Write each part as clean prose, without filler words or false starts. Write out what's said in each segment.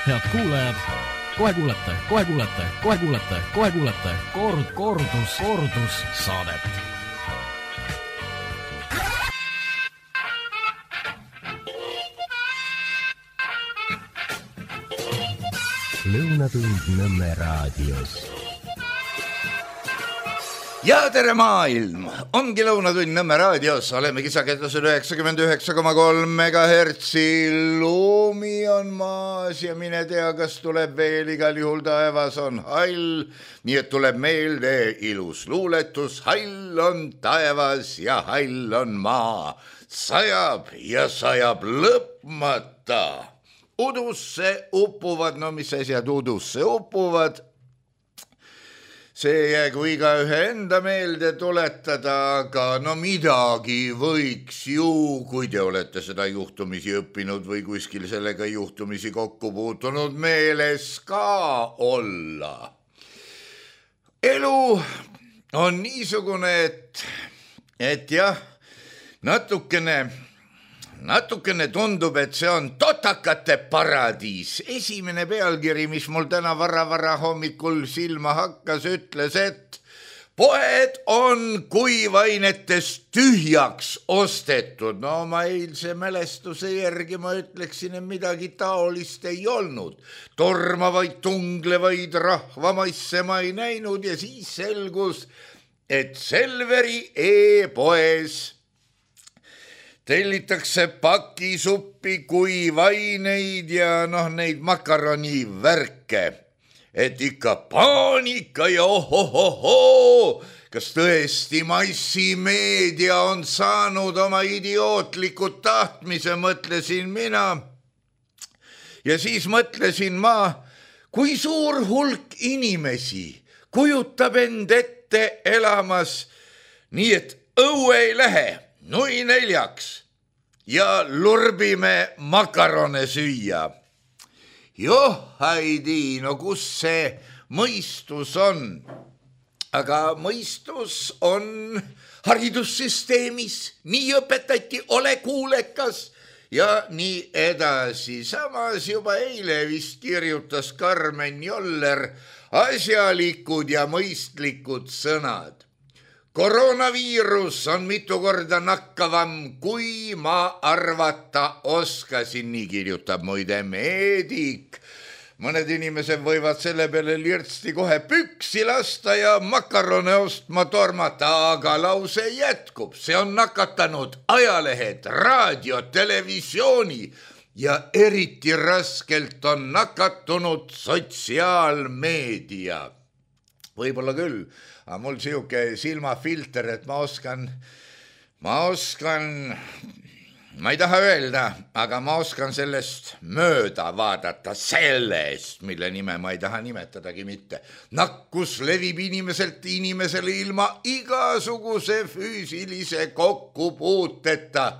Head kuulajad, kohe kuulete kordus saadet. Lõunatund Nõmme raadios. Ja tere maailm! Ongi Lõunatund Nõmme raadios. Oleme kisaketlusel 99,3 MHz. Lumi on maas ja mine tea, kas tuleb veel. Igal juhul taevas on hall. Nii et tuleb meelde ilus luuletus. Hall on taevas ja hall on maa. Sajab ja sajab lõpmata. Udusse upuvad, no mis asjad udusse upuvad? See jäägu igaühe enda meelde tuletada, aga no midagi võiks ju, kui te olete seda juhtumisi õppinud või kuskil sellega juhtumisi kokku puutunud, meeles ka olla. Elu on niisugune, et jah, natukene tundub, et see on totakate paradiis. Esimene pealkiri, mis mul täna vara hommikul silma hakkas, ütles, et poed on kuivainetest tühjaks ostetud. No ma eilse mälestuse järgi ma ütleksin, et midagi taolist ei olnud. Tormavaid, tunglevaid rahvamaisse ma ei näinud ja siis selgus, et Selveri e-poes tellitakse pakisuppi, kuivaineid ja neid makaronivärke. Et ikka paanika ja ohohoho, kas tõesti massimeedia on saanud oma idiootlikud tahtmise, mõtlesin mina. Ja siis mõtlesin ma, kui suur hulk inimesi kujutab end ette elamas nii, et õue ei lähe. Nui neljaks ja lurbime makarone süüa. Joh, Heidi, no kus see mõistus on? Aga mõistus on haridussüsteemis. Nii õpetati, ole kuulekas ja nii edasi. Samas juba eile vist kirjutas Karmen Joller asjalikud ja mõistlikud sõnad. Koroonaviirus on mitu korda nakkavam, kui ma arvata oskasin, nii kirjutab muide meedik. Mõned inimesed võivad selle peale lirtsti kohe püksi lasta ja makarone ostma tormata, aga lause jätkub. See on nakatanud ajalehed, raadio, televisiooni ja eriti raskelt on nakatunud sotsiaalmeedia. Võib-olla küll. Aga mul siuke silmafilter, et ma oskan, ma ei taha öelda, aga ma oskan sellest mööda vaadata, sellest, mille nime ma ei taha nimetadagi mitte. Nakkus levib inimeselt inimesele ilma igasuguse füüsilise kokkupuuteta,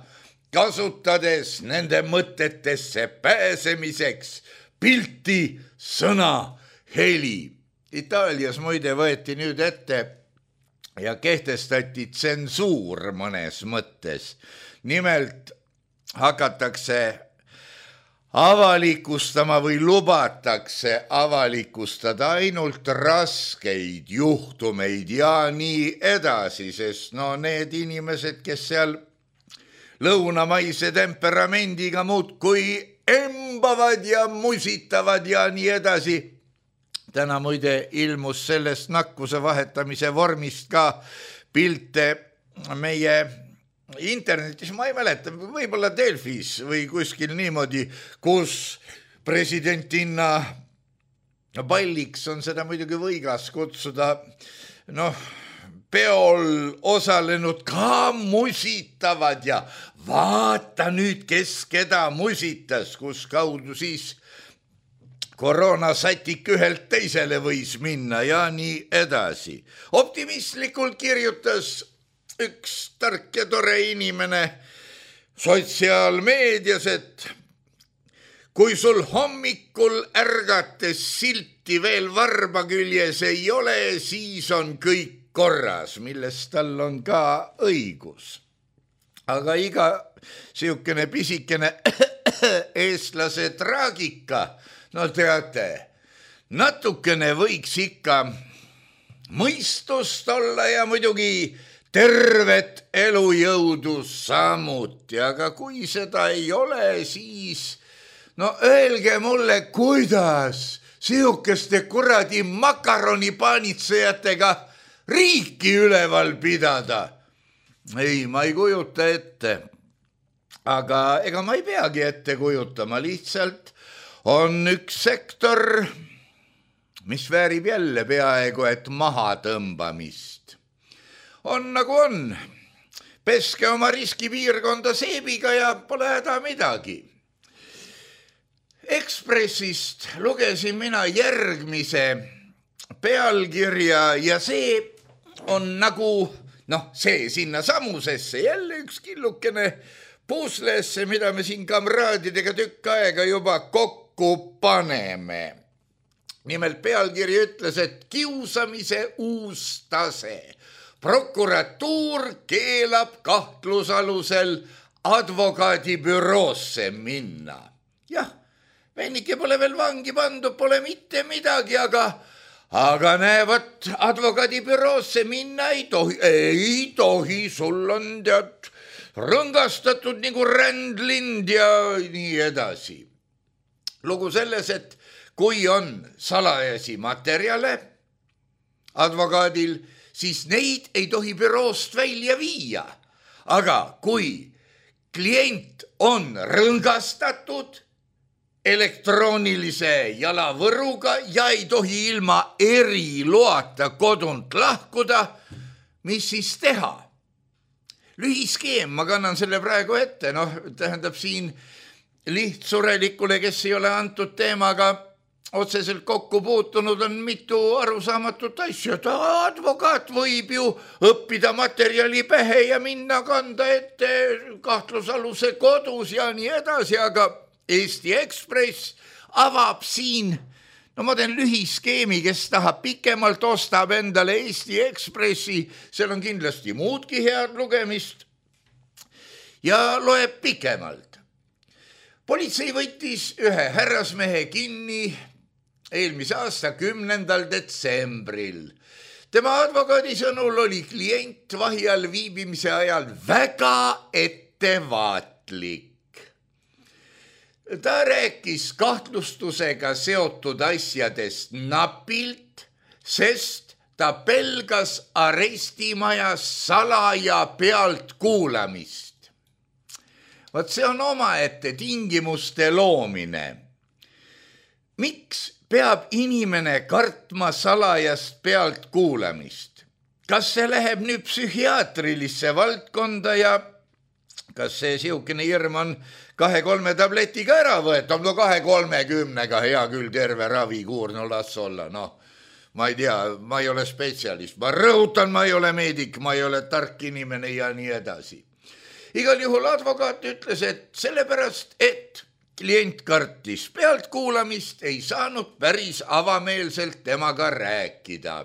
kasutades nende mõtetesse pääsemiseks pilti, sõna, heli. Itaalias muide võeti nüüd ette ja kehtestati tsensuur mõnes mõttes. Nimelt hakatakse avalikustama või lubatakse avalikustada ainult raskeid juhtumeid ja nii edasi, sest need inimesed, kes seal lõunamaise temperamendiga muudkui embavad ja musitavad ja nii edasi. Täna muide ilmus sellest nakkuse vahetamise vormist ka pilte meie internetis, ma ei mäleta, võib-olla Delfis või kuskil niimoodi, kus presidentinna Palliks on seda muidugi võigas kutsuda, peol osalenud ka musitavad ja vaata nüüd, kes keda musitas, kus kaudu siis koroonasätik ühelt teisele võis minna ja nii edasi. Optimistlikult kirjutas üks tark ja tore inimene sotsiaalmeedias, et kui sul hommikul ärgates silti veel varba küljes ei ole, siis on kõik korras, millest tal on ka õigus. Aga iga siukene pisikene eestlase traagika, no teate, natukene võiks ikka mõistust olla ja muidugi tervet elujõudu samuti, aga kui seda ei ole, siis no öelge mulle, kuidas sihukeste kuradi makaronipaanitsejatega riiki üleval pidada. Ei, ma ei kujuta ette, aga ega ma ei peagi ette kujutama, lihtsalt on üks sektor, mis väärib jälle peaaegu et maha tõmbamist. On nagu on, peske oma riskipiirkonda seebiga ja pole häda midagi. Ekspressist lugesin mina järgmise pealkirja ja see on nagu, see sinna samusesse jälle üks killukene puslesse, mida me siin kamraadidega tükk aega juba kokku paneme. Nimelt pealkiri ütles, et kiusamise uus tase. Prokuratuur keelab kahtlusalusel advokaadibüroosse minna. Jah, vennike pole veel vangi pandud, pole mitte midagi, aga näevad, advokaadibüroosse minna ei tohi, sul on tead rõngastatud nagu rändlind ja nii edasi. Lugu selles, et kui on salajasi materjale advokaadil, siis neid ei tohi büroost välja viia. Aga kui klient on rõngastatud elektroonilise jalavõruga ja ei tohi ilma eriloata kodunt lahkuda, mis siis teha? Lühiskeem, ma kannan selle praegu ette, tähendab siin lihtsurelikule, kes ei ole antud teemaga otseselt kokku puutunud, on mitu arusaamatut asja. Advokaat võib ju õppida materjali pähe ja minna kanda ette kahtlusaluse kodus ja nii edasi, aga Eesti Ekspress avab siin, ma teen lühiskeemi, kes tahab pikemalt, ostab endale Eesti Ekspressi, seal on kindlasti muudki head lugemist ja loeb pikemalt. Politsei võttis ühe härrasmehe kinni eelmise aasta 10. detsembril. Tema advokaadi sõnul oli klient vahi all viibimise ajal väga ettevaatlik. Ta rääkis kahtlustusega seotud asjadest napilt, sest ta pelgas arestimajas salaja pealt kuulamist. Vaat see on omaette tingimuste loomine. Miks peab inimene kartma salajast pealt kuulamist? Kas see läheb nüüd psühhiaatrilisse valdkonda ja kas see sihukene hirm on 2-3 tabletiga ära võetab? 2-30-ga hea küll terve ravikuur, las olla. Ma ei tea, ma ei ole spetsialist. Ma rõhutan, ma ei ole meedik, ma ei ole tark inimene ja nii edasi. Igal juhul advokaat ütles, et sellepärast, et klient kartis pealtkuulamist, ei saanud päris avameelselt temaga rääkida.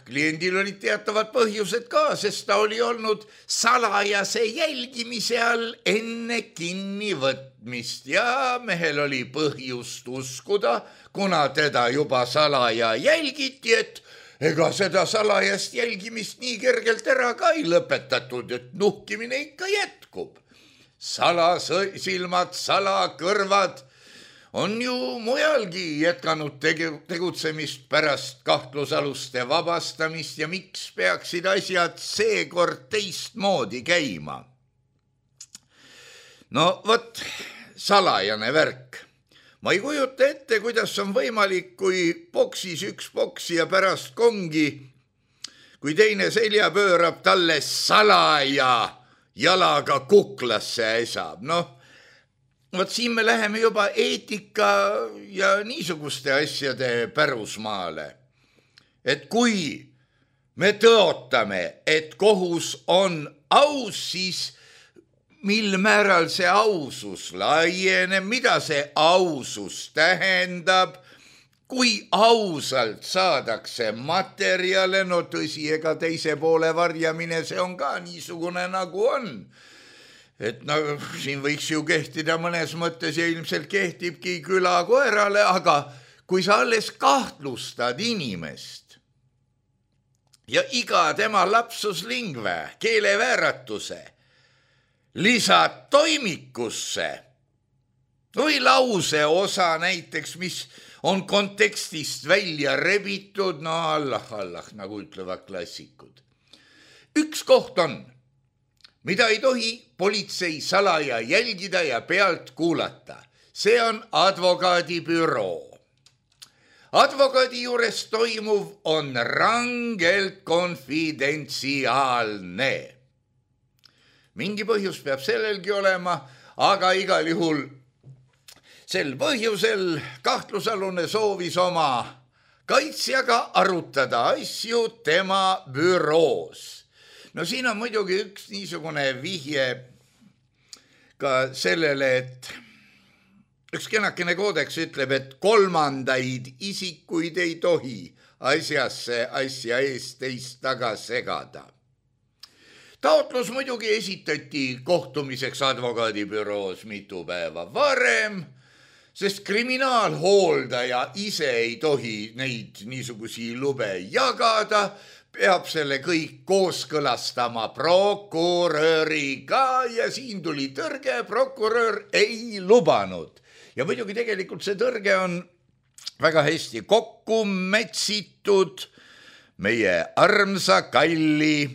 Kliendil olid teatavad põhjused ka, sest ta oli olnud salajase jälgimise all enne kinnivõtmist ja mehel oli põhjust uskuda, kuna teda juba salaja jälgiti, et ega seda salajast jälgimist nii kergelt ära ka ei lõpetatud, et nuhkimine ikka jätkub. Salasilmad, salakõrvad on ju mujalgi jätkanud tegutsemist pärast kahtlusaluste vabastamist ja miks peaksid asjad seekord teistmoodi käima? Vot, salajane värk. Ma ei kujuta ette, kuidas on võimalik, kui boksis üks boksi ja pärast kongi, kui teine selja pöörab, talle salaja jalaga kuklasse äsab. Vot siin me läheme juba eetika ja niisuguste asjade pärusmaale. Et kui me tõotame, et kohus on aus, siis mil määral see ausus laieneb, mida see ausus tähendab, kui ausalt saadakse materjale, tõsi, ega teise poole varjamine, see on ka niisugune nagu on. et no siin võiks ju kehtida mõnes mõttes ja ilmselt kehtibki külakoerale, aga kui sa alles kahtlustad inimest ja iga tema lapsus lingve, keelevääratuse lisad toimikusse või lause osa näiteks, mis on kontekstist välja rebitud, no Allah, nagu ütlevad klassikud. Üks koht on, mida ei tohi politsei salaja jälgida ja pealt kuulata. See on advokaadibüroo. Advokaadi juures toimuv on rangelt konfidentsiaalne. Mingi põhjus peab sellelgi olema, aga igal juhul sel põhjusel kahtlusalune soovis oma kaitsjaga arutada asju tema büroos. No siin on muidugi üks niisugune vihje ka sellele, et üks kenakene koodeks ütleb, et kolmandaid isikuid ei tohi asjasse asja eest teist taga segada. Taotlus muidugi esitati kohtumiseks advokaadibüroos mitu päeva varem, sest kriminaalhooldaja ise ei tohi neid niisugusi lube jagada, peab selle kõik kooskõlastama prokuröriga ja siin tuli tõrge, prokurör ei lubanud. Ja muidugi tegelikult see tõrge on väga hästi kokku metsitud meie armsa kalli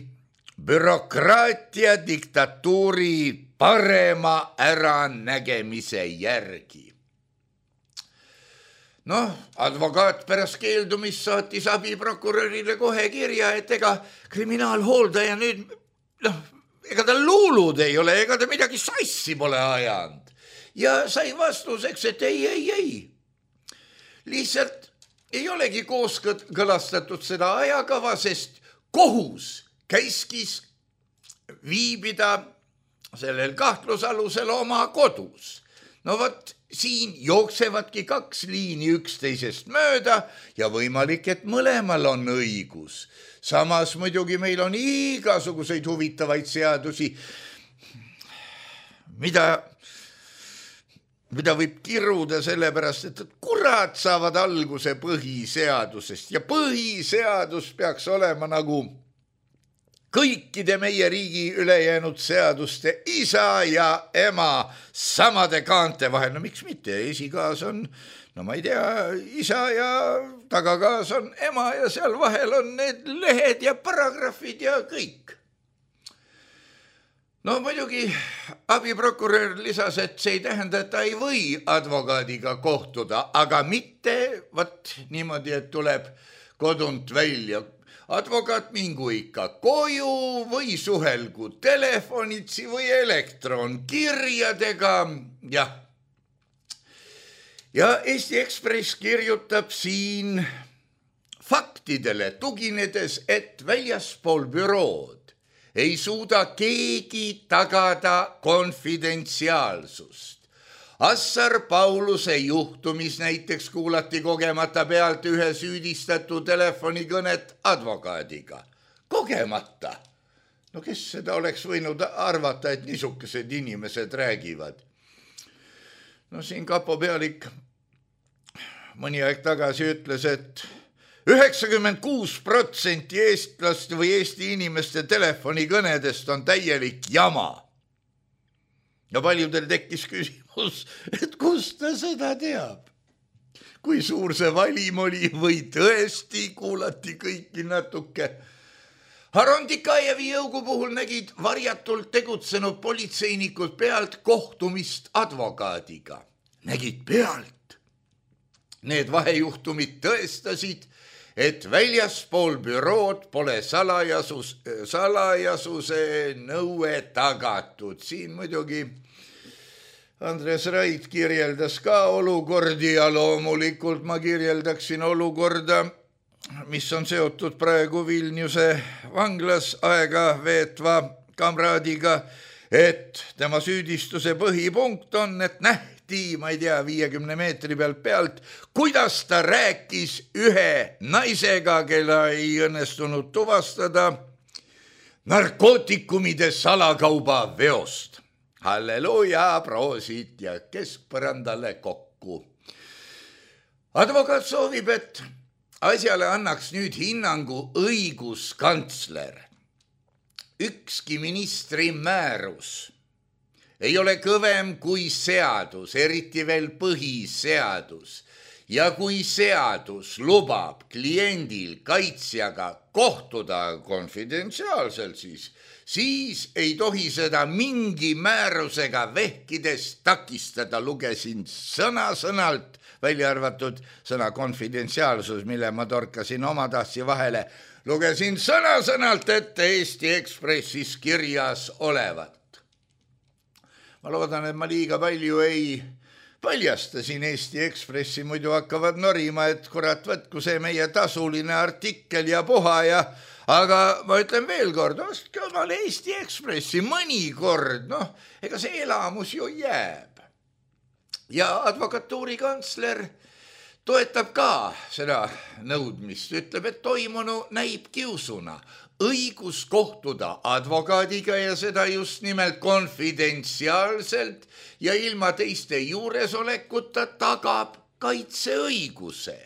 bürokraatia diktatuuri parema äranägemise järgi. Noh, advokaat pärast keeldumist saatis abiprokurörile kohe kirja, et ega kriminaalhooldaja nüüd, ega ta luulud ei ole, ega ta midagi sassi pole ajanud. Ja sai vastuseks, et ei. Lihtsalt ei olegi kooskõlastatud seda ajakava, sest kohus käiskis viibida sellel kahtlusalusel oma kodus. No vot, siin jooksevadki kaks liini üksteisest mööda ja võimalik, et mõlemal on õigus. Samas muidugi meil on igasuguseid huvitavaid seadusi, mida võib kiruda sellepärast, et kurat saavad alguse põhiseadusest ja põhiseadus peaks olema nagu kõikide meie riigi ülejäänud seaduste isa ja ema samade kaante vahel. No miks mitte? Esikaas on, no ma ei tea, isa ja tagakaas on ema ja seal vahel on need lehed ja paragrahvid ja kõik. No muidugi abiprokurör lisas, et see ei tähenda, et ta ei või advokaadiga kohtuda, aga mitte niimoodi, et tuleb kodunt välja. Advokaat mingu ikka koju või suhelgu telefonitsi või elektronkirjadega. Ja Eesti Ekspress kirjutab siin faktidele tuginedes, et väljaspool bürood ei suuda keegi tagada konfidentsiaalsust. Assar Pauluse juhtumis näiteks kuulati kogemata pealt ühe süüdistatu telefonikõnet advokaadiga. Kogemata. No kes seda oleks võinud arvata, et niisugused inimesed räägivad? No siin kapo pealik mõni aeg tagasi ütles, et 96% eestlaste või Eesti inimeste telefonikõnedest on täielik jama. Ja paljudel tekkis küsimus, et kust ta seda teab? Kui suur see valim oli või tõesti kuulati kõiki natuke? Harondikajevi jõugu puhul nägid varjatult tegutsenud politseinikud pealt kohtumist advokaadiga. Nägid pealt. Need vahejuhtumid tõestasid, et väljaspool bürood pole salajasuse nõue tagatud. Siin muidugi Andres Rait kirjeldas ka olukordi ja loomulikult ma kirjeldaksin olukorda, mis on seotud praegu Vilniuse vanglas aega veetva kamraadiga, et tema süüdistuse põhipunkt on, et ma ei tea, 50 meetri pealt, kuidas ta rääkis ühe naisega, kella ei õnnestunud tuvastada narkootikumide salakauba veost. halleluuja, proosit ja keskpõrandale kokku. Advokaat soovib, et asjale annaks nüüd hinnangu õiguskantsler. Ükski ministri määrus ei ole kõvem kui seadus, eriti veel põhiseadus. Ja kui seadus lubab kliendil kaitsjaga kohtuda konfidentsiaalselt, siis ei tohi seda mingi määrusega vehkides takistada. Lugesin sõna-sõnalt, välja arvatud sõna konfidentsiaalsus, mille ma torkasin oma tahtsi vahele. Lugesin sõna-sõnalt ette Eesti Ekspressis kirjas olevat. Ma loodan, et ma liiga palju ei paljastasin Eesti Ekspressi, muidu hakkavad norima, et kurat, võtku see meie tasuline artikkel ja puha ja aga ma ütlen veel kord, ostke omale Eesti Ekspressi mõnikord, ega see elamus ju jääb. Ja advokatuuri kantsler toetab ka seda nõudmist, ütleb, et toimunu näib kiusuna. Õigus kohtuda advokaadiga ja seda just nimelt konfidentsiaalselt ja ilma teiste juuresolekuta tagab kaitseõiguse.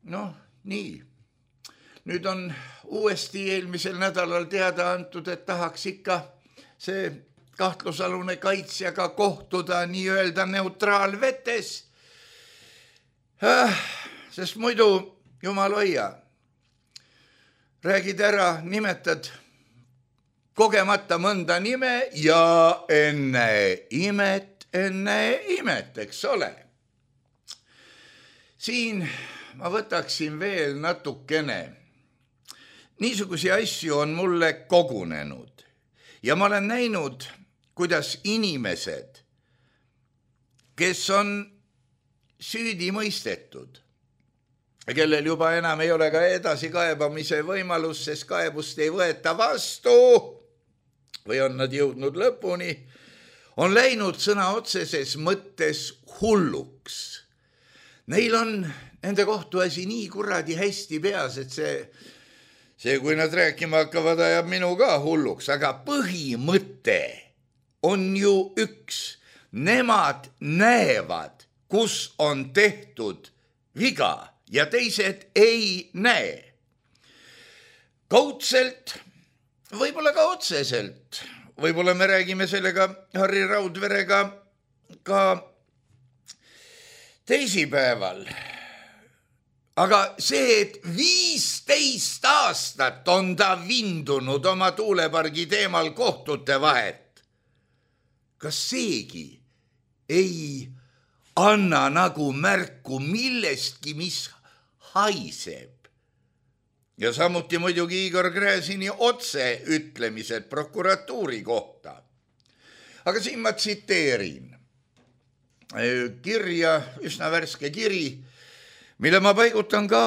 Nii. Nüüd on uuesti eelmisel nädalal teada antud, et tahaks ikka see kahtlusalune kaitsjaga kohtuda nii-öelda neutraalvetes, sest muidu, jumal hoia, räägid ära, nimetad kogemata mõnda nime ja enne imet, eks ole. Siin ma võtaksin veel natukene. Niisugusi asju on mulle kogunenud ja ma olen näinud, kuidas inimesed, kes on süüdi mõistetud, kellel juba enam ei ole ka edasikaebamise võimalus, sest kaebust ei võeta vastu või on nad jõudnud lõpuni, on läinud sõna otseses mõttes hulluks. Neil on nende kohtuasi nii kuradi hästi peas, et see, kui nad rääkima hakkavad, ajab minu ka hulluks, aga põhimõte on ju üks. Nemad näevad, kus on tehtud viga ja teised ei näe. Kaudselt, võib-olla ka otseselt, võib-olla me räägime sellega Harri Raudverega ka teisipäeval. Aga see, et 15 aastat on ta vindunud oma tuulepargi teemal kohtute vahet, kas seegi ei anna nagu märku millestki, mis haiseb? Ja samuti muidugi Igor Gräzini otse ütlemised prokuratuuri kohta. Aga siin ma tsiteerin kirja, üsna värske kiri, mille ma paigutan ka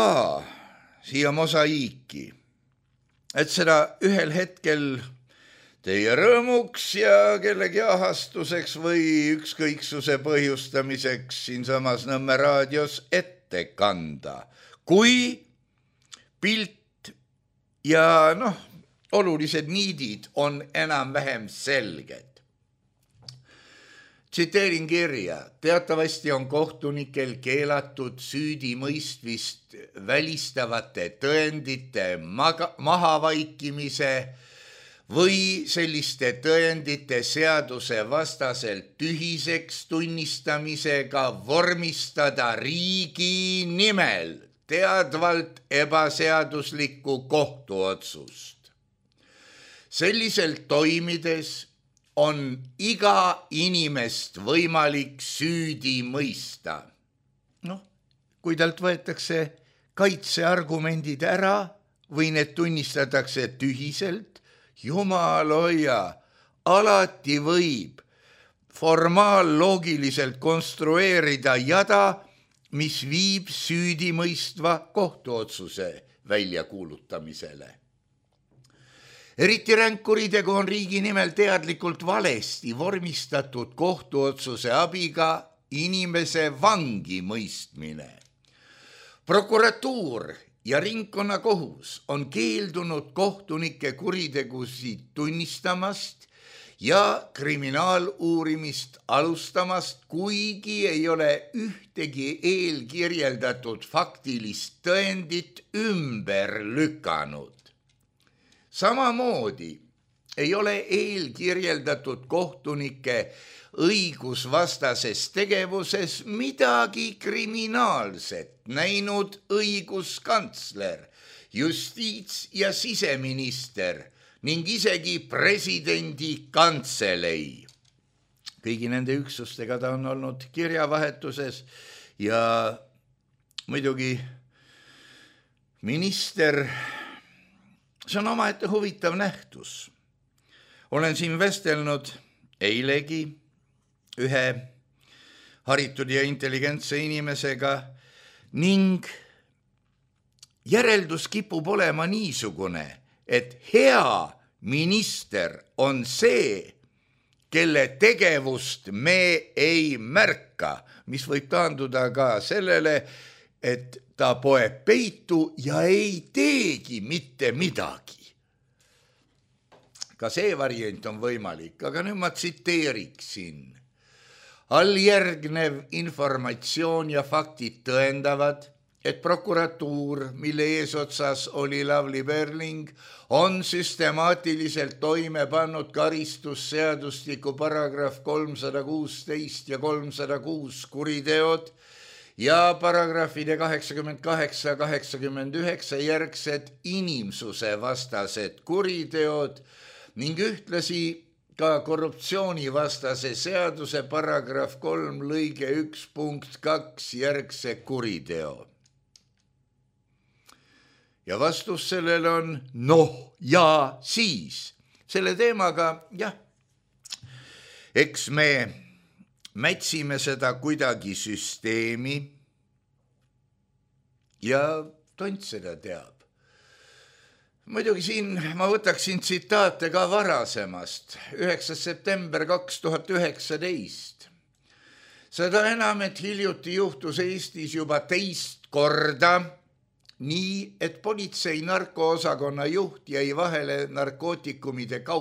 siia mosaiiki, et seda ühel hetkel teie rõõmuks ja kellegi ahastuseks või ükskõiksuse põhjustamiseks siinsamas Nõmme raadios ette kanda, kui pilt ja olulised niidid on enam-vähem selged. Tsiteerin kirja. Teatavasti on kohtunikel keelatud süüdimõistvist välistavate tõendite mahavaikimise või selliste tõendite seaduse vastaselt tühiseks tunnistamisega vormistada riigi nimel teadvalt ebaseaduslikku kohtuotsust. Selliselt toimides on iga inimest võimalik süüdi mõista. Kui talt võetakse kaitseargumendid ära või need tunnistatakse tühiselt, jumal hoia, alati võib formaalloogiliselt konstrueerida jada, mis viib süüdimõistva kohtuotsuse väljakuulutamisele. Eriti ränk kuritegu on riigi nimel teadlikult valesti vormistatud kohtuotsuse abiga inimese vangi mõistmine. Prokuratuur ja ringkonnakohus on keeldunud kohtunike kuritegusid tunnistamast ja kriminaaluurimist alustamast, kuigi ei ole ühtegi eelkirjeldatud faktilist tõendit ümber lükanud. Samamoodi ei ole eelkirjeldatud kohtunike õigusvastases tegevuses midagi kriminaalset näinud õiguskantsler, justiits- ja siseminister ning isegi presidendi kantselei. Kõigi nende üksustega ta on olnud kirjavahetuses ja muidugi minister, see on omaette huvitav nähtus. Olen siin vestelnud eilegi ühe haritud ja intelligentse inimesega ning järeldus kipub olema niisugune, et hea minister on see, kelle tegevust me ei märka, mis võib taanduda ka sellele, et ta poeb peitu ja ei teegi mitte midagi. Ka see variant on võimalik, aga nüüd ma tsiteeriksin. Alljärgnev informatsioon ja faktid tõendavad, et prokuratuur, mille eesotsas oli Lavly Perling, on süstemaatiliselt toime pannud karistusseadustiku paragrahv 316 ja 306 kuriteod ja paragrahvide 88 ja 89 järgsed inimsuse vastased kuriteod ning ühtlasi ka korruptsioonivastase seaduse paragrahv 3 lõige 1 punkt 2 järgse kuriteo. Ja vastus sellele on ja siis. Selle teemaga, eks me mätsime seda kuidagi süsteemi ja tont seda teab. Muidugi siin ma võtaksin tsitaate ka varasemast, 9. september 2019. Seda enam, et hiljuti juhtus Eestis juba teist korda, nii, et politsei narkoosakonna juht jäi vahele narkootikumidega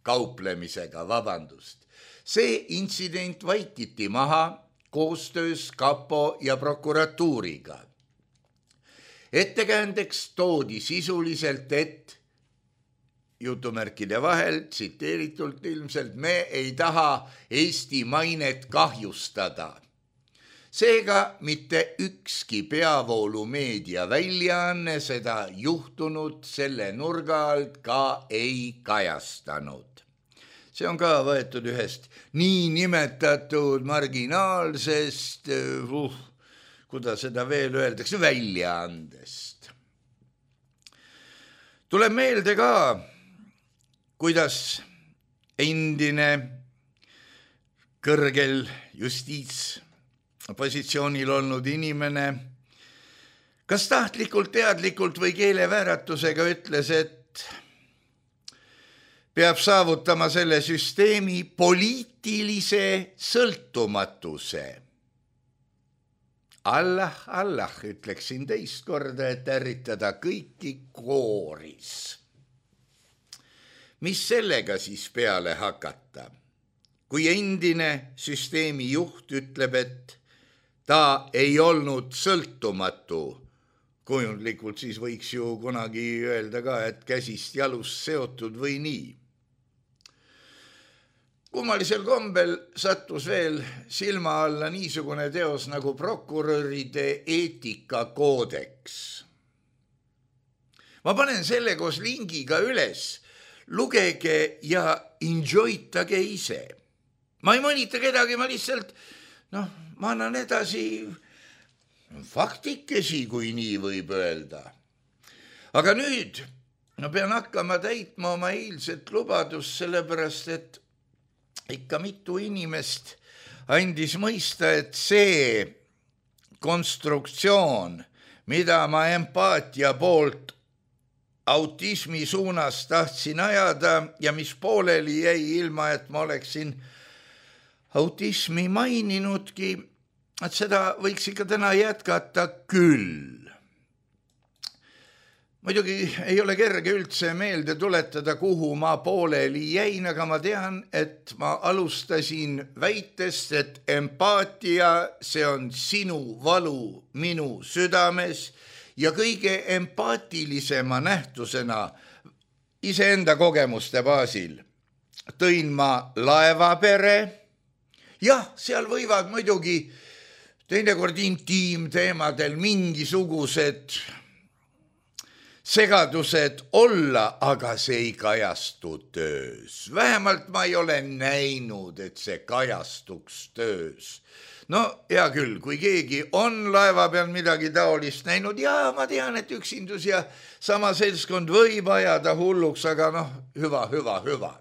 kauplemisega, vabandust. See intsident vaikiti maha koostöös kapo ja prokuratuuriga. Ettekäändeks toodi sisuliselt, et jutumärkide vahel, tsiteeritult ilmselt, me ei taha Eesti mainet kahjustada. Seega mitte ükski peavoolumeedia väljaanne seda juhtunud selle nurga alt ka ei kajastanud. See on ka võetud ühest nii nimetatud marginaalsest, kuidas seda veel öeldakse, väljaandest. Tuleb meelde ka, kuidas endine kõrgel justiitspositsioonil olnud inimene kas tahtlikult, teadlikult või keelevääratusega ütles, et peab saavutama selle süsteemi poliitilise sõltumatuse. Allah, ütleksin teist korda, et ärritada kõiki kooris. Mis sellega siis peale hakata? Kui endine süsteemi juht ütleb, et ta ei olnud sõltumatu, kujundlikult siis võiks ju kunagi öelda ka, et käsist jalust seotud või nii. Kummalisel kombel sattus veel silma alla niisugune teos nagu prokuröride eetikakoodeks. Ma panen selle koos lingiga üles, lugege ja enjoytage ise. Ma ei mõnita kedagi, ma lihtsalt, ma annan edasi faktikesi, kui nii võib öelda. Aga nüüd pean hakkama täitma oma eilset lubadust, sellepärast, et ikka mitu inimest andis mõista, et see konstruktsioon, mida ma empaatia poolt autismi suunas tahtsin ajada ja mis pooleli jäi ilma, et ma oleksin autismi maininudki, et seda võiks ikka täna jätkata küll. muidugi ei ole kerge üldse meelde tuletada, kuhu ma pooleli jäin, aga ma tean, et ma alustasin väitest, et empaatia, see on sinu valu minu südames ja kõige empaatilisema nähtusena iseenda kogemuste baasil tõin ma laevapere. Jah, seal võivad muidugi teinekord intiimteemadel mingisugused segadused olla, aga see ei kajastu töös. Vähemalt ma ei ole näinud, et see kajastuks töös. No hea küll, kui keegi on laeva peal midagi taolist näinud, ja ma tean, et üksindus ja sama seltskond võib ajada hulluks, aga hüva.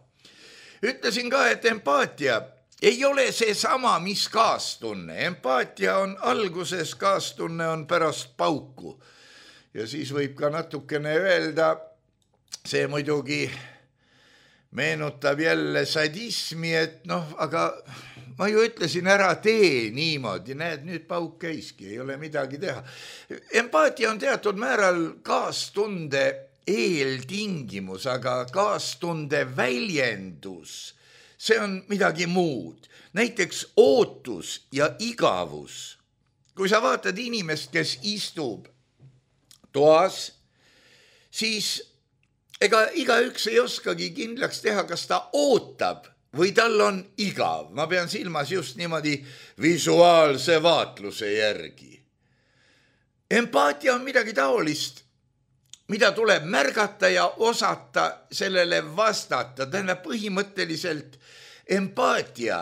Ütlesin ka, et empaatia ei ole see sama, mis kaastunne. Empaatia on alguses, kaastunne on pärast pauku. Ja siis võib ka natukene öelda, see muidugi meenutab jälle sadismi, et aga ma ju ütlesin ära tee niimoodi, näed, nüüd pauk käiski, ei ole midagi teha. Empaatia on teatud määral kaastunde eeltingimus, aga kaastunde väljendus, see on midagi muud. Näiteks ootus ja igavus. Kui sa vaatad inimest, kes istub toas, siis ega igaüks ei oskagi kindlaks teha, kas ta ootab või tal on igav. Ma pean silmas just niimoodi visuaalse vaatluse järgi. Empaatia on midagi taolist, mida tuleb märgata ja osata sellele vastata. Tähendab põhimõtteliselt empaatia,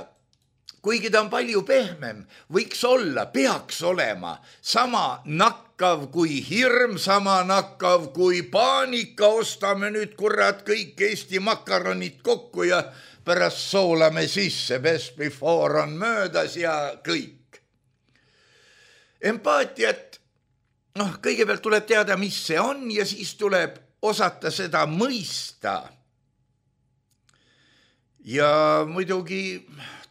kuigi ta on palju pehmem, võiks olla, peaks olema sama nakkav kui hirm, sama nakkav kui paanika. Ostame nüüd kurat kõik Eesti makaronid kokku ja pärast soolame sisse, best before on möödas ja kõik. Empaatiat, kõigepealt tuleb teada, mis see on ja siis tuleb osata seda mõista. Ja muidugi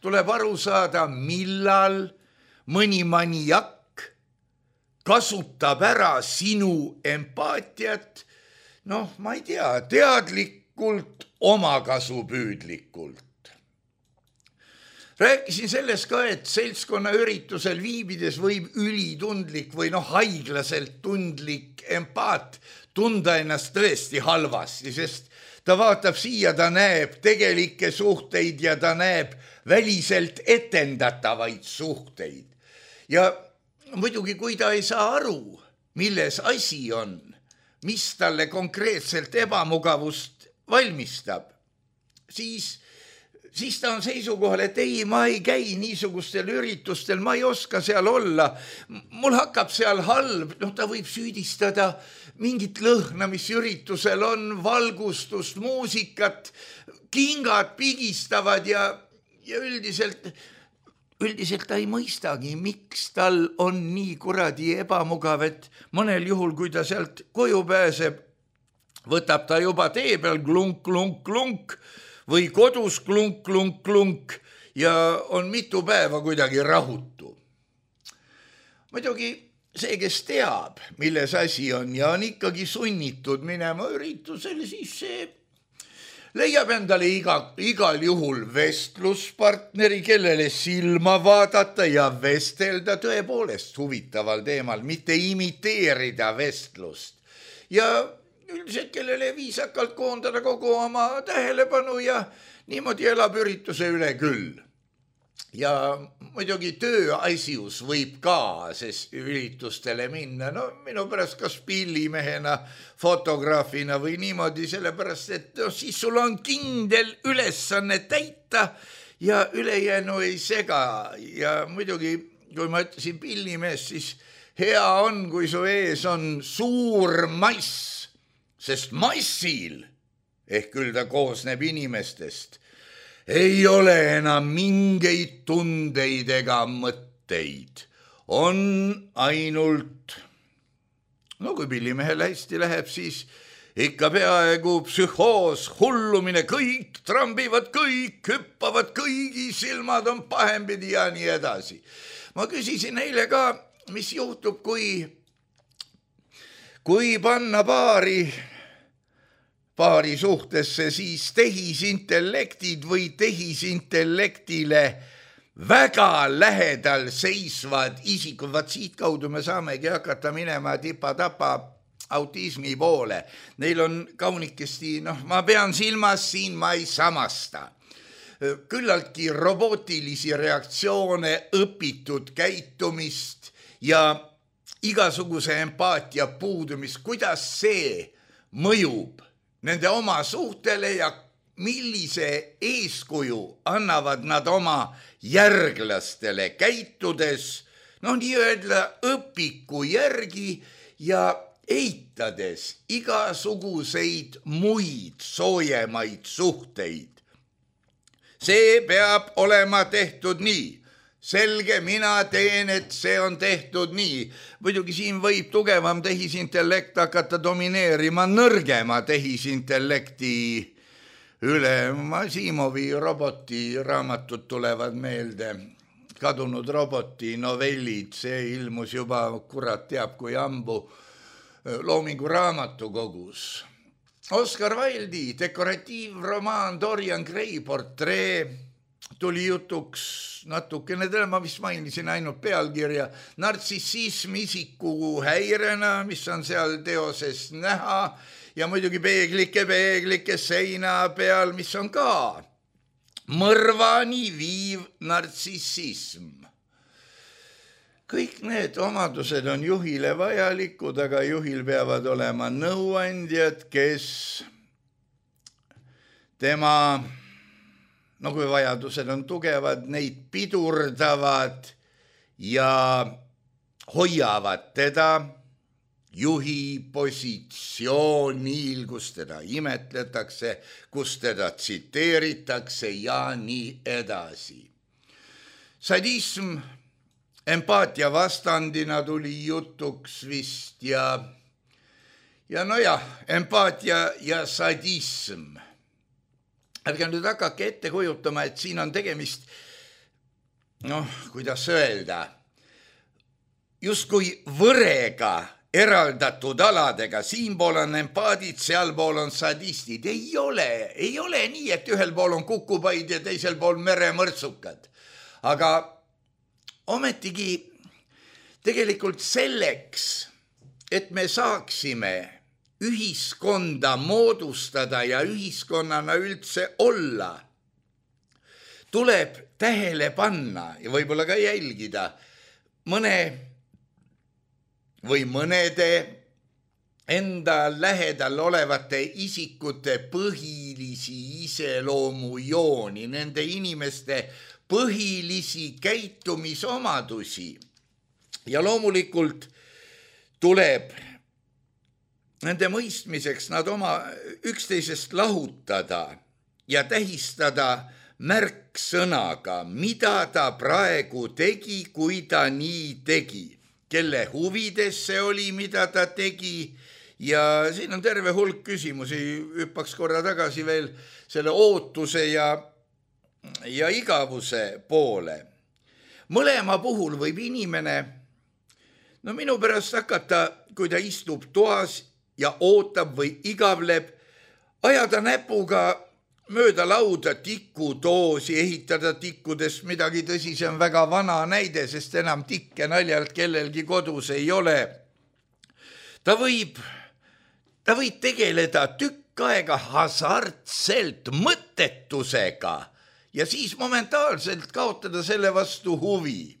tuleb aru saada, millal mõni maniak kasutab ära sinu empaatiat, ma ei tea, teadlikult, omakasupüüdlikult. Rääkisin sellest ka, et seltskonna üritusel viibides võib ülitundlik või haiglaselt tundlik empaat tunda ennast tõesti halvasti, sest ta vaatab siia, ta näeb tegelikke suhteid ja ta näeb väliselt etendatavaid suhteid. Ja muidugi, kui ta ei saa aru, milles asi on, mis talle konkreetselt ebamugavust valmistab, siis ta on seisukohal, et ei, ma ei käi niisugustel üritustel, ma ei oska seal olla, mul hakkab seal halb, ta võib süüdistada mingit lõhna, mis üritusel on, valgustust, muusikat, kingad pigistavad ja üldiselt ta ei mõistagi, miks tal on nii kuradi ebamugav, et mõnel juhul, kui ta sealt koju pääseb, võtab ta juba tee peal klunk või kodus klunk ja on mitu päeva kuidagi rahutu. Muidugi see, kes teab, milles asi on ja on ikkagi sunnitud minema üritusele, siis see leiab endale igal juhul vestluspartneri, kellele silma vaadata ja vestelda tõepoolest huvitaval teemal, mitte imiteerida vestlust. Ja üldiselt, kellele viisakalt koondada kogu oma tähelepanu ja niimoodi elab ürituse üle küll. Ja muidugi tööasjus võib ka üritustele minna, minu pärast kas pillimehena, fotograafina või niimoodi, sellepärast, et siis sul on kindel ülesanne täita ja ülejäänu ei sega. Ja muidugi, kui ma ütlesin pillimees, siis hea on, kui su ees on suur mass, sest massil, ehk küll ta koosneb inimestest, ei ole enam mingeid tundeid ega mõtteid. On ainult, kui pillimehel hästi läheb, siis ikka peaaegu psühhoos, hullumine, kõik trambivad, kõik hüppavad, kõigi silmad on pahempidi ja nii edasi. Ma küsisin eile ka, mis juhtub, kui panna paari suhtesse, siis tehisintellektid või tehisintellektile väga lähedal seisvad isikud, vaat siit kaudu me saamegi hakata minema tipa-tapa autismi poole. Neil on kaunikesti, ma pean silmas siin, ma ei samasta. Küllaltki robotilisi reaktsioone, õpitud käitumist ja igasuguse empaatia puudumist, kuidas see mõjub nende oma suhtele ja millise eeskuju annavad nad oma järglastele käitudes, nii-öelda õpiku järgi ja eitades igasuguseid muid soojemaid suhteid. See peab olema tehtud nii. Selge, mina teen, et see on tehtud nii. Muidugi siin võib tugevam tehisintellekt hakata domineerima nõrgema tehisintellekti üle. Asimovi roboti raamatud tulevad meelde. Kadunud roboti novellid, see ilmus juba kurat teab kui ammu Loomingu raamatukogus. Oscar Wilde'i dekoratiivromaan Dorian Gray portree tuli jutuks natukene, ma vist mainisin ainult pealkirja, nartsissism isiku häirena, mis on seal teoses näha ja muidugi peeglike seina peal, mis on ka mõrvani viiv nartsissism. Kõik need omadused on juhile vajalikud, aga juhil peavad olema nõuandjad, kes tema, kui vajadused on tugevad, neid pidurdavad ja hoiavad teda juhi positsioonil, kus teda imetletakse, kus teda tsiteeritakse ja nii edasi. Sadism empaatia vastandina tuli jutuks vist ja empaatia ja sadism. Ärge nüüd hakake ette kujutama, et siin on tegemist, kuidas öelda, justkui võrega eraldatud aladega, siinpool on empaadid, sealpool on sadistid. Ei ole nii, et ühel pool on kukupaid ja teisel pool meremõrtsukad. Aga ometigi tegelikult selleks, et me saaksime ühiskonda moodustada ja ühiskonnana üldse olla, tuleb tähele panna ja võib-olla ka jälgida mõnede enda lähedal olevate isikute põhilisi iseloomujooni, nende inimeste põhilisi käitumisomadusi. Ja loomulikult tuleb nende mõistmiseks nad oma üksteisest lahutada ja tähistada märksõnaga, mida ta praegu tegi, kui ta nii tegi, kelle huvides see oli, mida ta tegi. Ja siin on terve hulk küsimusi, hüppaks korra tagasi veel selle ootuse ja igavuse poole. Mõlema puhul võib inimene, minu pärast hakata, kui ta istub toas ja ootab või igavleb, ajada näpuga mööda lauda tikudoosi, ehitada tikkudest midagi, tõsi, see on väga vana näide, sest enam tikke naljalt kellelgi kodus ei ole. Ta võib tegeleda tükk aega hasartselt mõttetusega ja siis momentaalselt kaotada selle vastu huvi.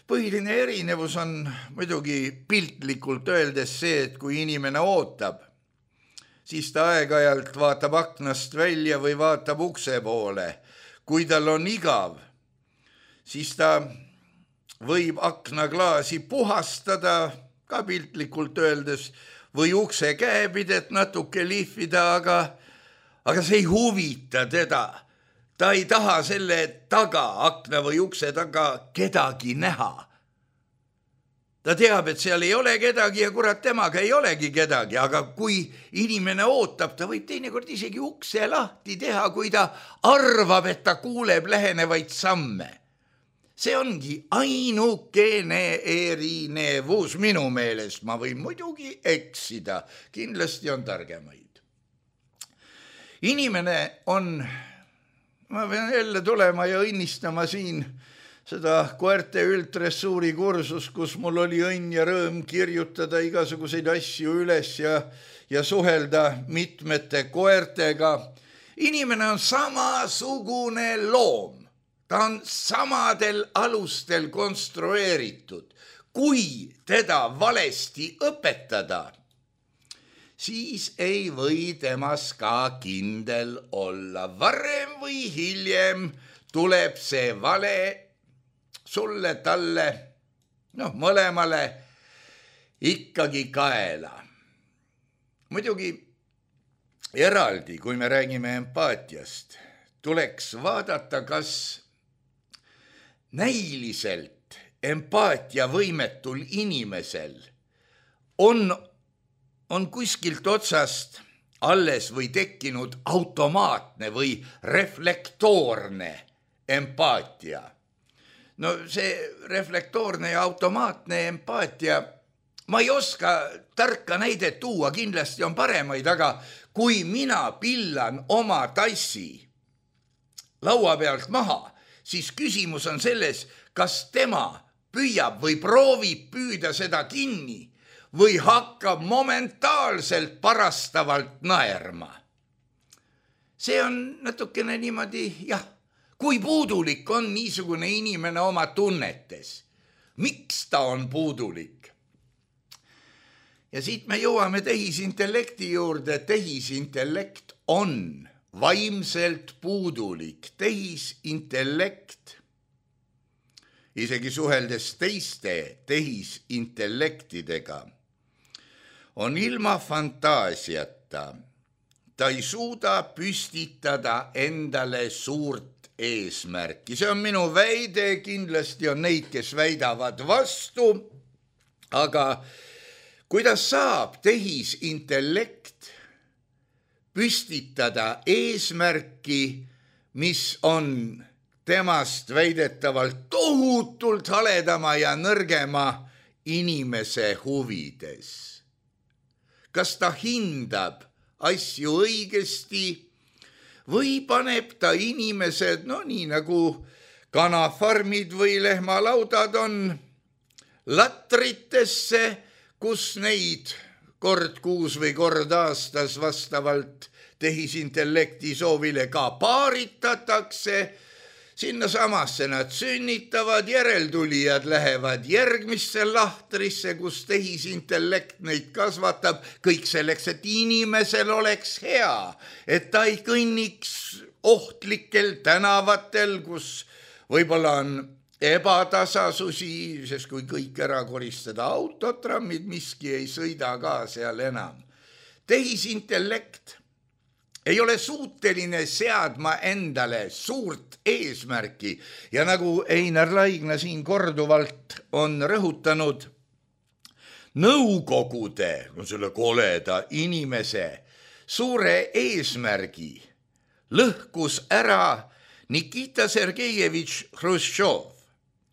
Põhiline erinevus on muidugi piltlikult öeldes see, et kui inimene ootab, siis ta aeg-ajalt vaatab aknast välja või vaatab ukse poole. Kui tal on igav, siis ta võib aknaklaasi puhastada, ka piltlikult öeldes, või ukse käepidet natuke lihvida, aga see ei huvita teda. Ta ei taha selle taga, akna või ukse taga kedagi näha. Ta teab, et seal ei ole kedagi ja kurat temaga ei olegi kedagi, aga kui inimene ootab, ta võib teinekord isegi ukse lahti teha, kui ta arvab, et ta kuuleb lähenevaid samme. see ongi ainukene erinevus minu meelest, ma võin muidugi eksida, kindlasti on targemaid. Inimene on, ma pean jälle tulema ja õnnistama siin seda koerte üldressuuri kursus, kus mul oli õnn ja rõõm kirjutada igasuguseid asju üles ja suhelda mitmete koertega. Inimene on samasugune loom, ta on samadel alustel konstrueeritud. Kui teda valesti õpetada, siis ei või temas ka kindel olla. Varem või hiljem tuleb see vale sulle, talle, mõlemale ikkagi kaela. Muidugi eraldi, kui me räägime empaatiast, tuleks vaadata, kas näiliselt empaatiavõimetul inimesel on kuskilt otsast alles või tekkinud automaatne või reflektoorne empaatia. No see reflektoorne ja automaatne empaatia, ma ei oska tarka näidet tuua, kindlasti on paremaid, aga kui mina pillan oma tassi laua pealt maha, siis küsimus on selles, kas tema püüab või proovib püüda seda kinni või hakkab momentaalselt parastavalt naerma. See on natukene niimoodi, kui puudulik on niisugune inimene oma tunnetes. Miks ta on puudulik? Ja siit me jõuame tehisintellekti juurde. Tehisintellekt on vaimselt puudulik. Tehisintellekt, isegi suheldes teiste tehisintellektidega, on ilma fantaasiata. Ta ei suuda püstitada endale suurt eesmärki. See on minu väide, kindlasti on neid, kes väidavad vastu, aga kuidas saab tehisintellekt püstitada eesmärki, mis on temast väidetavalt tohutult haledama ja nõrgema inimese huvides? Kas ta hindab asju õigesti või paneb ta inimesed, nii nagu kanafarmid või lehmalaudad on, latritesse, kus neid kord kuus või kord aastas vastavalt tehisintellekti soovile ka paaritatakse. Sinna samasse nad sünnitavad, järeltulijad lähevad järgmisse lahtrisse, kus tehisintellekt neid kasvatab. Kõik selleks, et inimesel oleks hea, et ta ei kõnniks ohtlikel tänavatel, kus võib-olla on ebatasasusi, sest kui kõik ära koristada autotrammid, miski ei sõida ka seal enam. Tehisintellekt ei ole suuteline seadma endale suurt eesmärki ja nagu Einar Laigna siin korduvalt on rõhutanud, nõukogude, selle koleda inimese suure eesmärgi lõhkus ära Nikita Sergejevitš Hruštšov.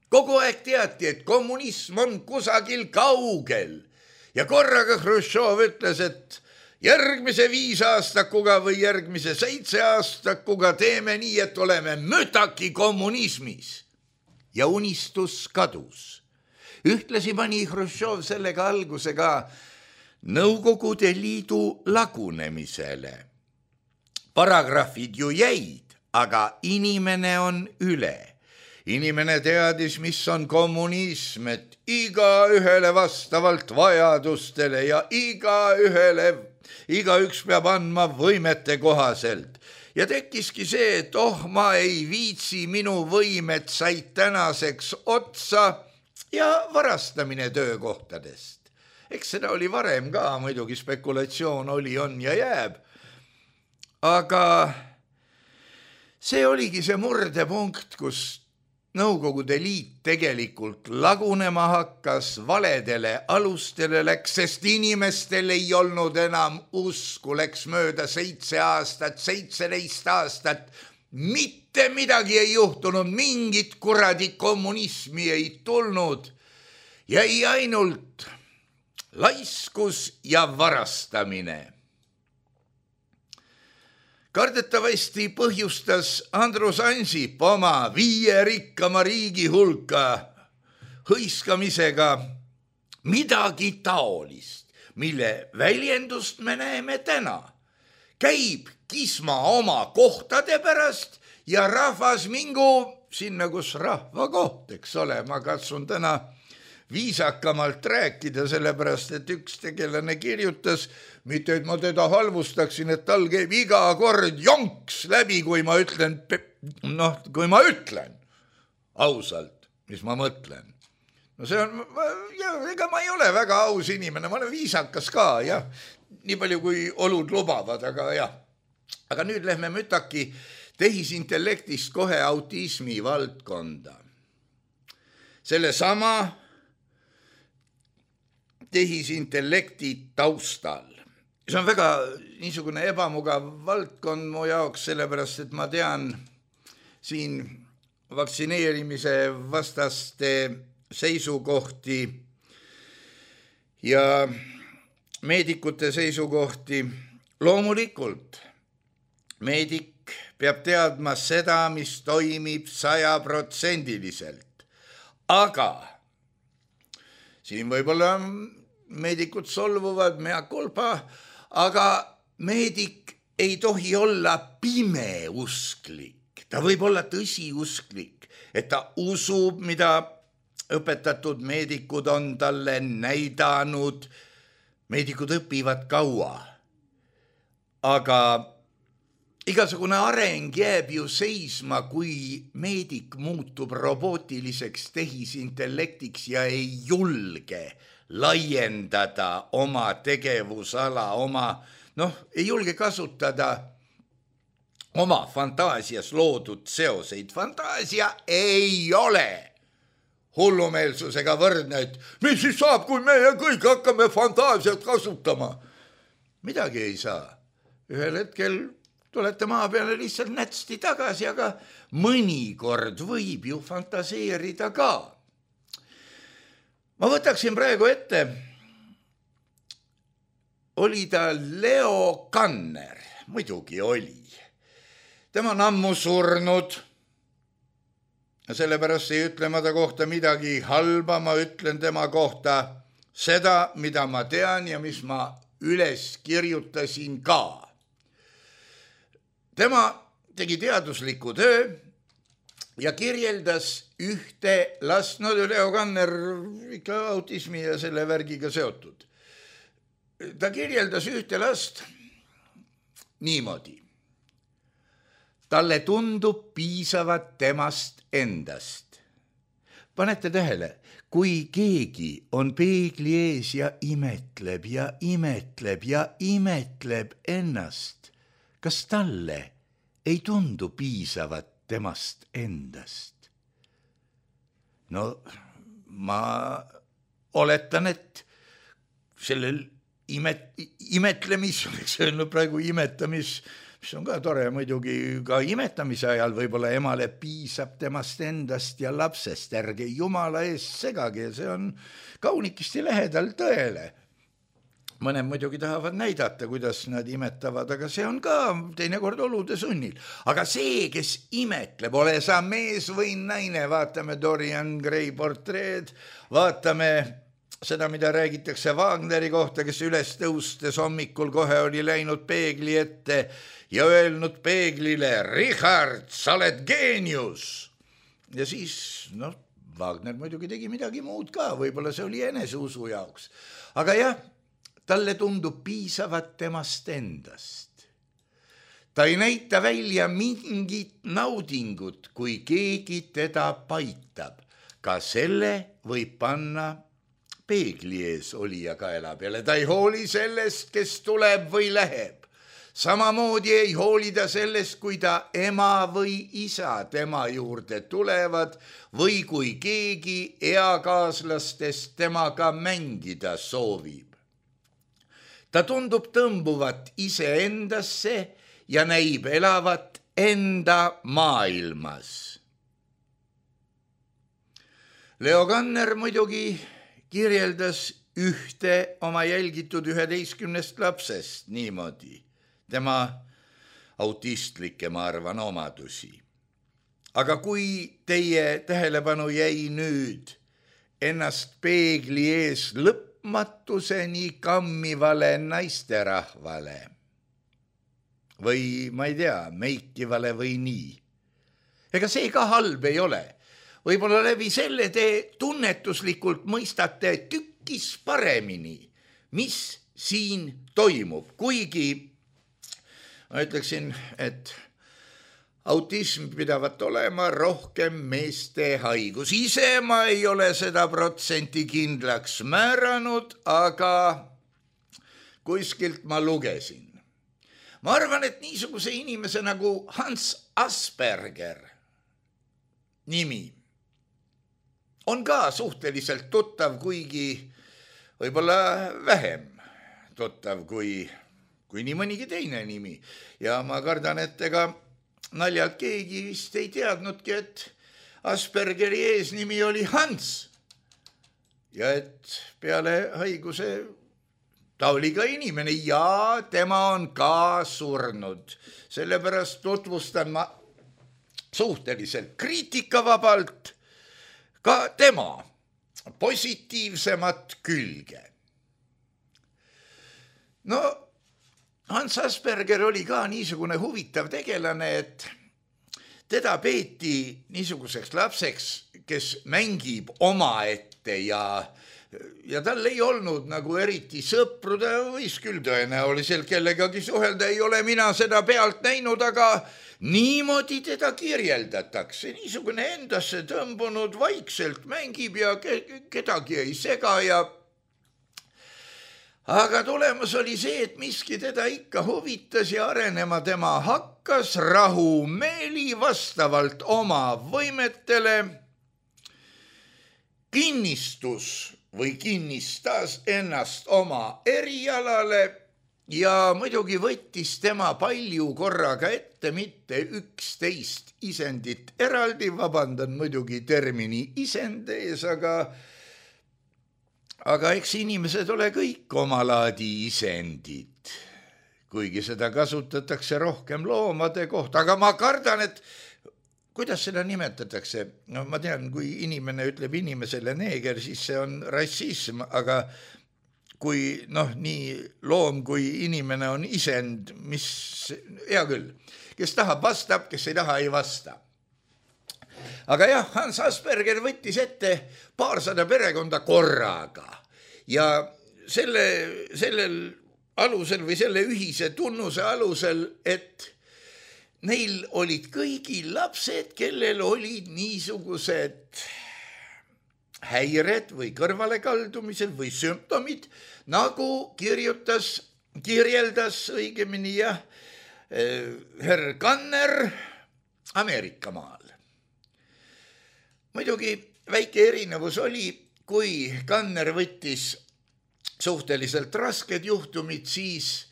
Kogu aeg teati, et kommunism on kusagil kaugel ja korraga Hruštšov ütles, et järgmise 5 aastakuga või järgmise 7 aastakuga teeme nii, et oleme mütaki kommunismis. Ja unistus kadus. Ühtlasi pani Hruštšov sellega alguse ka Nõukogude Liidu lagunemisele. Paragrahvid ju jäid, aga inimene on üle. Inimene teadis, mis on kommunism, et igaühele vastavalt vajadustele ja igaüks peab andma võimete kohaselt. Ja tekkiski see, et ma ei viitsi, minu võimed said tänaseks otsa ja varastamine töökohtadest. Eks seda oli varem ka, muidugi spekulatsioon oli, on ja jääb. Aga see oligi see murdepunkt, kus Nõukogude Liit tegelikult lagunema hakkas, valedele alustele läks, sest inimestel ei olnud enam usku, läks mööda 7 aastat, 17 aastat, mitte midagi ei juhtunud, mingit kuradi kommunismi ei tulnud, jäi ainult laiskus ja varastamine. Kardetavasti põhjustas Andrus Ansip oma 5 rikkama riigi hulka hõiskamisega midagi taolist, mille väljendust me näeme täna. Käib kisma oma kohtade pärast ja rahvas mingu sinna, kus rahva koht, eks ole. Ma katsun täna viisakamalt rääkida, sellepärast, et üks tegelane kirjutas, mitte et ma teda halvustaksin, et tal käib iga kord jonks läbi, kui ma ütlen, ausalt, mis ma mõtlen. No see on, ega ma ei ole väga aus inimene, ma olen viisakas ka, jah, nii palju kui olud lubavad, aga jah. Aga nüüd lähme mütaki tehisintellektist kohe autismi valdkonda. Selle sama tehisintellekti taustal. See on väga niisugune ebamugav valdkond mu jaoks, sellepärast, et ma tean siin vaktsineerimise vastaste seisukohti ja meedikute seisukohti. Loomulikult meedik peab teadma seda, mis toimib 100%. Aga siin võib-olla meedikud solvuvad, mea culpa, aga meedik ei tohi olla pimeusklik. Ta võib olla tõsiusklik, et ta usub, mida õpetatud meedikud on talle näidanud. Meedikud õpivad kaua, aga igasugune areng jääb ju seisma, kui meedik muutub robootiliseks tehisintellektiks ja ei julge laiendada oma tegevusala, ei julge kasutada oma fantaasias loodud seoseid. Fantaasia ei ole hullumeelsusega võrdne, et mis siis saab, kui meie kõik hakkame fantaasiat kasutama? Midagi ei saa. Ühel hetkel tulete maa peale lihtsalt nätsti tagasi, aga mõnikord võib ju fantaseerida ka. Ma võtaksin praegu ette, oli ta Leo Kanner, muidugi oli. Tema on ammu surnud. Sellepärast ei ütle ma ta kohta midagi halba, ma ütlen tema kohta seda, mida ma tean ja mis ma üles kirjutasin ka. Tema tegi teadusliku töö ja kirjeldas ühte last, Leo Kanner ikka autismi ja selle värgiga seotud. Ta kirjeldas ühte last niimoodi. Talle tundub piisavat temast endast. Panete tähele, kui keegi on peegli ees ja imetleb ja imetleb ja imetleb ennast, kas talle ei tundu piisavat temast endast? No ma oletan, et sellel imetlemis, oleks öelnud praegu imetamis, mis on ka tore muidugi, ka imetamise ajal võib-olla emale piisab temast endast ja lapsest, ärge jumala eest segage, see on kaunikisti lähedal tõele. Mõned muidugi tahavad näidata, kuidas nad imetavad, aga see on ka teinekord olude sunnil. Aga see, kes imetleb, ole sa mees või naine, vaatame Dorian Gray portreed, vaatame seda, mida räägitakse Wagneri kohta, kes üles tõustes hommikul kohe oli läinud peegli ette ja öelnud peeglile, Richard, sa oled geenius. Ja siis, Wagner muidugi tegi midagi muud ka, võib-olla see oli eneseusu jaoks. Aga jah, talle tundub piisavat temast endast. Ta ei näita välja mingit naudingut, kui keegi teda paitab. Ka selle võib panna peegli ees olija kaela peale. Ta ei hooli sellest, kes tuleb või läheb. Samamoodi ei hoolida sellest, kui ta ema või isa tema juurde tulevad või kui keegi eakaaslastest temaga mängida soovib. Ta tundub tõmbuvat iseendasse ja näib elavat enda maailmas. Leo Kanner muidugi kirjeldas ühte oma jälgitud 11 lapsest niimoodi, tema autistlikke, ma arvan, omadusi. Aga kui teie tähelepanu jäi nüüd ennast peegli ees lõpmatuseni kammivale naisterahvale või ma ei tea, meikivale või nii, ega see ka halb ei ole. Võib-olla läbi selle te tunnetuslikult mõistate tükkis paremini, mis siin toimub, kuigi ma ütleksin, et autism pidavat olema rohkem meeste haigus. Ise ma ei ole seda protsenti kindlaks määranud, aga kuskilt ma lugesin. Ma arvan, et niisuguse inimese nagu Hans Asperger nimi on ka suhteliselt tuttav, kuigi võib-olla vähem tuttav kui nii mõnigi teine nimi. Ja ma kardan, et ega naljalt keegi vist ei teadnudki, et Aspergeri eesnimi oli Hans ja et peale haiguse ta oli ka inimene ja tema on ka surnud. Sellepärast tutvustan ma suhteliselt kriitikavabalt ka tema positiivsemat külge. No, Hans Asperger oli ka niisugune huvitav tegelane, et teda peeti niisuguseks lapseks, kes mängib omaette ja tal ei olnud nagu eriti sõpru, ta võis küll tõenäoliselt kellegagi suhelda, ei ole mina seda pealt näinud, aga niimoodi teda kirjeldatakse. Niisugune endasse tõmbunud, vaikselt mängib ja kedagi ei sega ja aga tulemus oli see, et miski teda ikka huvitas ja arenema tema hakkas rahumeeli vastavalt oma võimetele. Kinnistus või kinnistas ennast oma erialale ja muidugi võttis tema palju korraga ette, mitte 11 isendit eraldi, vabandan muidugi termini isend ees, aga eks inimesed ole kõik omalaadi isendid, kuigi seda kasutatakse rohkem loomade kohta, aga ma kardan, et kuidas seda nimetatakse? No ma tean, kui inimene ütleb inimesele neeger, siis see on rassism, aga kui nii loom kui inimene on isend, mis hea küll, kes tahab vastab, kes ei taha ei vasta. Aga jah, Hans Asperger võttis ette 200 perekonda korraga ja sellel alusel või selle ühise tunnuse alusel, et neil olid kõigil lapsed, kellel olid niisugused häired või kõrvalekaldumised või sümptomid, nagu kirjeldas õigemini herr Kanner Ameerika maal. Muidugi väike erinevus oli, kui Kanner võttis suhteliselt rasked juhtumid, siis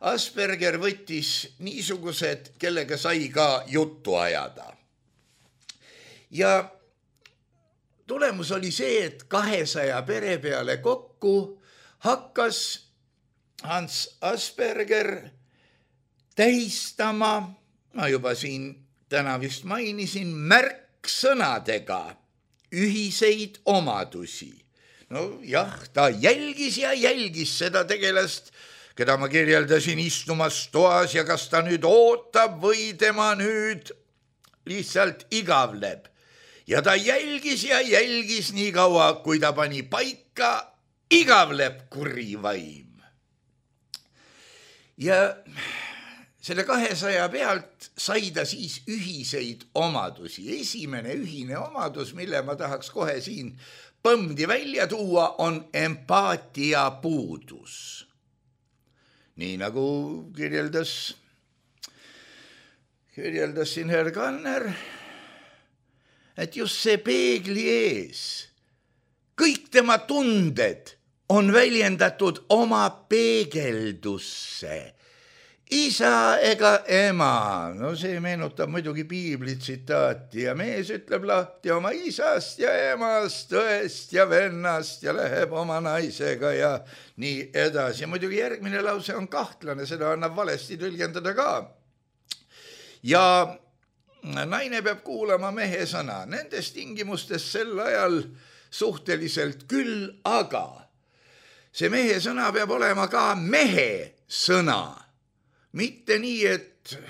Asperger võttis niisugused, kellega sai ka juttu ajada. Ja tulemus oli see, et 200 pere peale kokku hakkas Hans Asperger tähistama, ma juba siin täna vist mainisin, märksõnadega ühiseid omadusi. No jah, ta jälgis seda tegelast, keda ma kirjeldasin istumas toas ja kas ta nüüd ootab või tema nüüd lihtsalt igavleb. Ja ta jälgis nii kaua, kui ta pani paika, igavleb kuri vaim. Ja selle 200 pealt sai ta siis ühiseid omadusi. Esimene ühine omadus, mille ma tahaks kohe siin põmdi välja tuua, on empaatia puudus. Nii nagu kirjeldas siin herr Kanner, et just see peegli ees, kõik tema tunded on väljendatud oma peegeldusse. isa ega ema. No see meenutab muidugi piibli tsitaati ja mees ütleb lahti oma isast ja emast, õest ja vennast ja läheb oma naisega ja nii edasi. Muidugi järgmine lause on kahtlane, seda annab valesti tõlgendada ka. Ja naine peab kuulama mehe sõna. Nendes tingimustes sel ajal suhteliselt küll, aga see mehe sõna peab olema ka mehe sõna. Mitte nii, et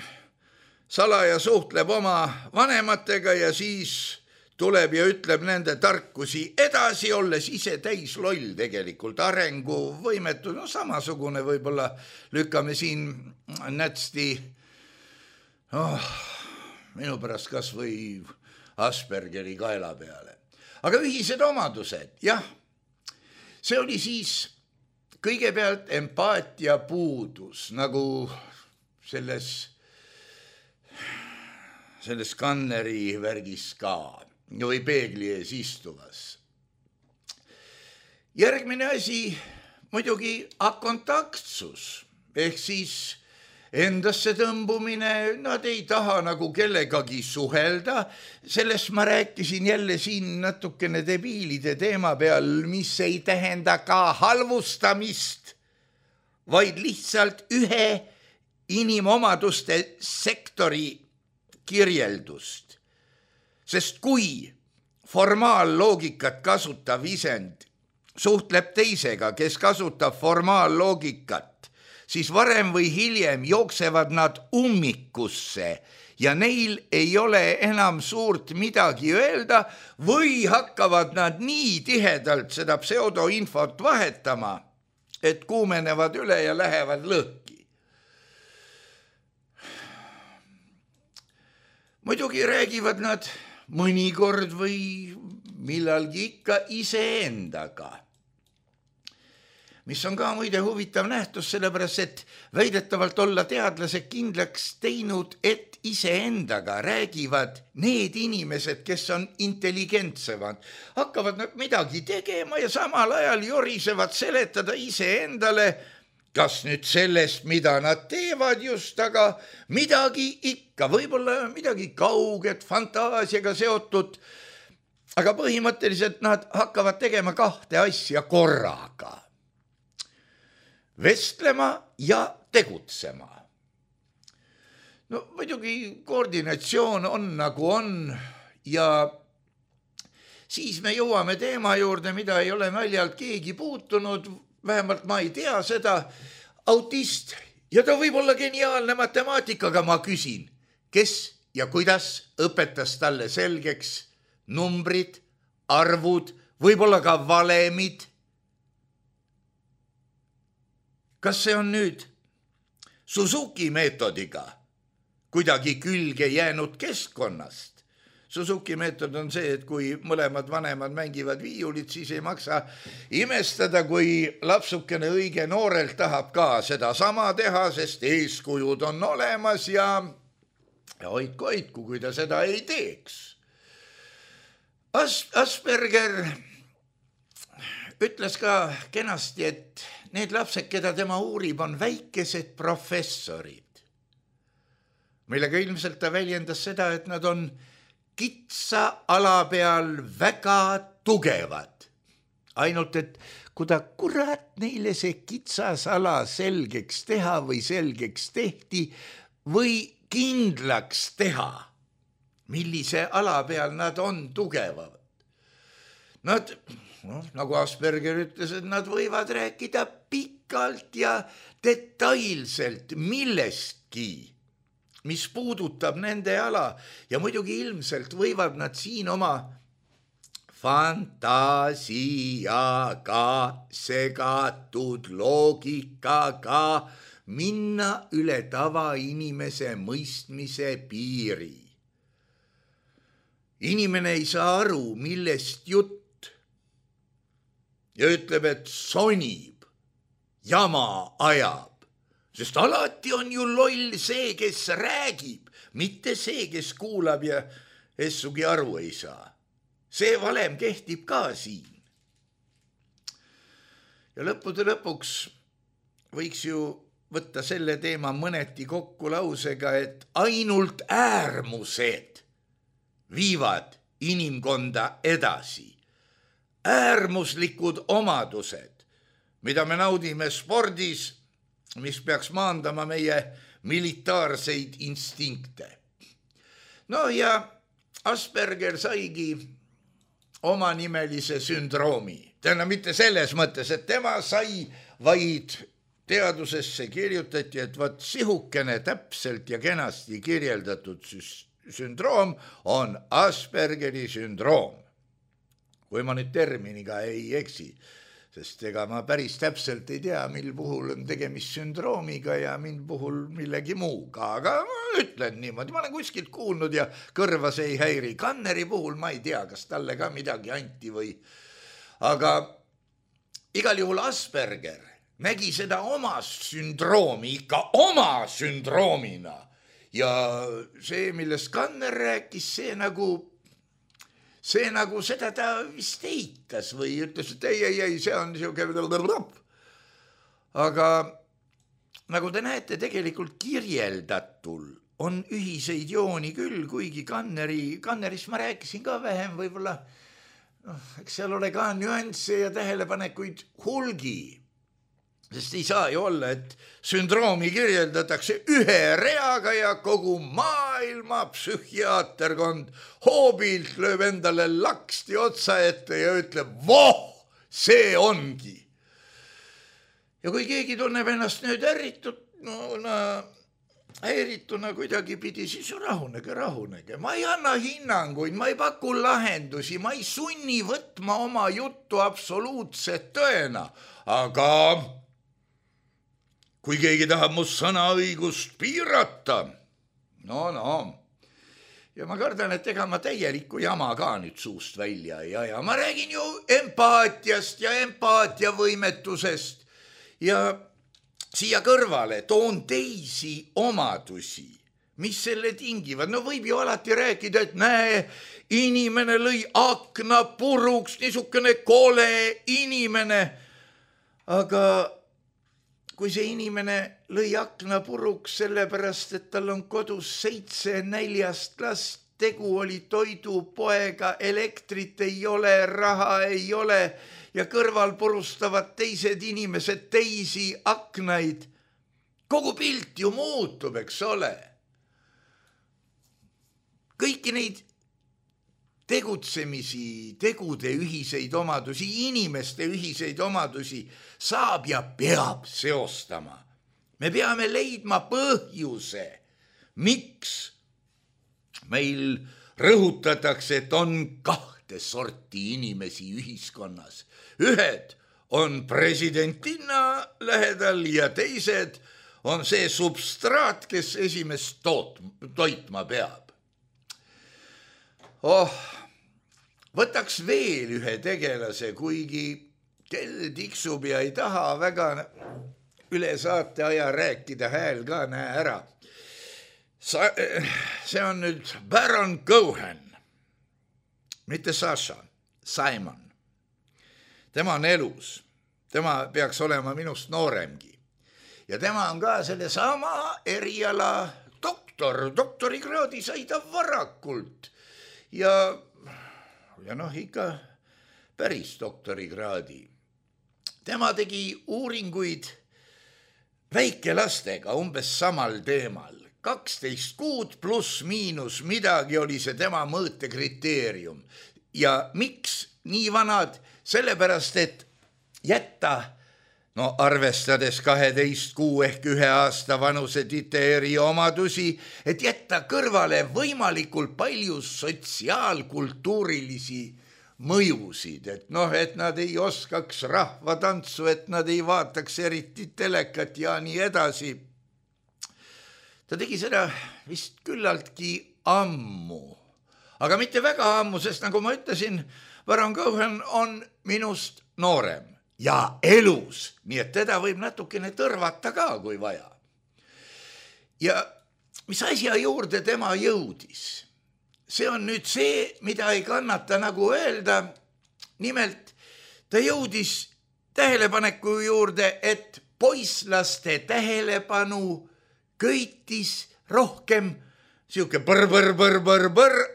salaja suhtleb oma vanematega ja siis tuleb ja ütleb nende tarkusi edasi, olles ise täis loll tegelikult, arenguvõimetu, no samasugune võib-olla lükkame siin nätsti, minu pärast kas või Aspergeri kaela peale. Aga ühised omadused, jah, see oli siis kõigepealt empaatia puudus, nagu selles skanneri värgis ka või peegli ees istuvas. Järgmine asi muidugi akontaktsus ehk siis endasse tõmbumine, nad ei taha nagu kellegagi suhelda, sellest ma rääkisin jälle siin natukene debiilide teema peal, mis ei tähenda ka halvustamist, vaid lihtsalt ühe inimomaduste sektori kirjeldust. Sest kui formaalloogikat kasutav isend suhtleb teisega, kes kasutab formaalloogikat, siis varem või hiljem jooksevad nad ummikusse ja neil ei ole enam suurt midagi öelda või hakkavad nad nii tihedalt seda pseudoinfot vahetama, et kuumenevad üle ja lähevad lõhki. Muidugi räägivad nad mõnikord või millalgi ikka iseendaga, mis on ka muide huvitav nähtus, sellepärast et väidetavalt olla teadlased kindlaks teinud, et iseendaga räägivad need inimesed, kes on intelligentsemad. Hakkavad nad midagi tegema ja samal ajal jorisevad seletada iseendale, kas nüüd sellest, mida nad teevad just, aga midagi ikka, võib-olla midagi kauget, fantaasiaga seotud, aga põhimõtteliselt nad hakkavad tegema kahte asja korraga. Vestlema ja tegutsema. No muidugi koordinatsioon on nagu on ja siis me jõuame teema juurde, mida ei ole naljalt keegi puutunud, vähemalt ma ei tea seda, autist ja ta võib olla geniaalne matemaatikaga, ma küsin, kes ja kuidas õpetas talle selgeks numbrid, arvud, võib-olla ka valemid. Kas see on nüüd Suzuki meetodiga kuidagi külge jäänud keskkonnast? Suzuki meetod on see, et kui mõlemad vanemad mängivad viiulit, siis ei maksa imestada, kui lapsukene õige noorelt tahab ka seda sama teha, sest eeskujud on olemas ja hoidku, kui ta seda ei teeks. Asperger ütles ka kenasti, et need lapsed, keda tema uurib, on väikesed professorid, millega ilmselt ta väljendas seda, et nad on kitsa ala peal väga tugevad. Ainult, et kui ta kurat neile see kitsas ala selgeks teha või selgeks tehti või kindlaks teha, millise ala peal nad on tugevad. Nad, nagu Asperger ütles, et nad võivad rääkida pikalt ja detailselt millestki, mis puudutab nende ala ja muidugi ilmselt võivad nad siin oma fantaasiaga, segatud loogikaga minna üle tavainimese mõistmise piiri. Inimene ei saa aru, millest jutt ja ütleb, et sonib, jama ajab. Sest alati on ju loll see, kes räägib, mitte see, kes kuulab ja essugi aru ei saa. See valem kehtib ka siin. Ja lõppude lõpuks võiks ju võtta selle teema mõneti kokku lausega, et ainult äärmused viivad inimkonda edasi. Äärmuslikud omadused, mida me naudime spordis, mis peaks maandama meie militaarseid instinkte. No ja Asperger saigi omanimelise sündroomi. Tähendab mitte selles mõttes, et tema sai, vaid teadusesse kirjutati, et vaat sihukene täpselt ja kenasti kirjeldatud sündroom on Aspergeri sündroom. Kui ma nüüd terminiga ei eksi, sest ega ma päris täpselt ei tea, mil puhul on tegemist sündroomiga ja mil puhul millegi muuga, aga ma ütlen niimoodi, ma olen kuskilt kuulnud ja kõrva see ei häiri. Kanneri puhul ma ei tea, kas talle ka midagi anti või, aga igal juhul Asperger nägi seda oma sündroomi ikka oma sündroomina ja see, millest Kanner rääkis, see nagu seda ta vist eitas või ütles, et ei, see on niisugune. Aga nagu te näete, tegelikult kirjeldatul on ühiseid jooni küll, kuigi Kannerist ma rääkisin ka vähem võib-olla. Eks seal ole ka nüansse ja tähelepanekuid hulgi, sest ei saa ju olla, et sündroomi kirjeldatakse ühe reaga ja kogu maailma psühhiaaterkond hoobilt lööb endale laksti otsa ette ja ütleb, voh, see ongi. Ja kui keegi tunneb ennast nüüd häirituna kuidagi pidi, siis rahunege. Ma ei anna hinnanguid, ma ei paku lahendusi, ma ei sunni võtma oma juttu absoluutset tõena, aga kui keegi tahab mu sõnaõigust piirata, no. Ja ma kardan, et ega ma täielikku jama ka nüüd suust välja ei aja. Ma räägin ju empaatiast ja empaatiavõimetusest ja siia kõrvale toon teisi omadusi, mis selle tingivad. No võib ju alati rääkida, et näe, inimene lõi akna puruks, niisugune kole inimene. Aga kui see inimene lõi akna puruks sellepärast, et tal on kodus 7 4 last, tegu oli toidupoega, elektrit ei ole, raha ei ole ja kõrval purustavad teised inimesed teisi aknaid. Kogu pilt ju muutub, eks ole. Kõiki neid tegutsemisi, tegude ühiseid omadusi, inimeste ühiseid omadusi saab ja peab seostama. Me peame leidma põhjuse, miks meil rõhutatakse, et on 2 sorti inimesi ühiskonnas. Ühed on presidentina lähedal ja teised on see substraat, kes esimest toitma peab. Võtaks veel ühe tegelase, kuigi kell tiksub ja ei taha väga üle saate aja rääkida, hääl ka näe ära. See on nüüd Baron Cohen, mitte Sasha, Simon. Tema on elus, tema peaks olema minust nooremgi. Ja tema on ka selle sama eriala doktorikraadi sai ta varakult. Ja ikka päris doktorikraadi. Tema tegi uuringuid väikelastega umbes samal teemal. 12 kuud pluss miinus midagi oli see tema mõõtekriteerium. Ja miks nii vanad? Sellepärast, et jätta, arvestades 12 kuu ehk 1 aasta vanuse titeeri omadusi, et jätta kõrvale võimalikult palju sotsiaalkultuurilisi mõjusid, et nad ei oskaks rahvatantsu, et nad ei vaataks eriti telekat ja nii edasi. Ta tegi seda vist küllaltki ammu, aga mitte väga ammu, sest nagu ma ütlesin, Baron Cohen on minust noorem ja elus, nii et teda võib natukene tõrvata ka, kui vaja. Ja mis asja juurde tema jõudis? See on nüüd see, mida ei kannata nagu öelda. Nimelt, ta jõudis tähelepaneku juurde, et poisslaste tähelepanu köitis rohkem siuke põr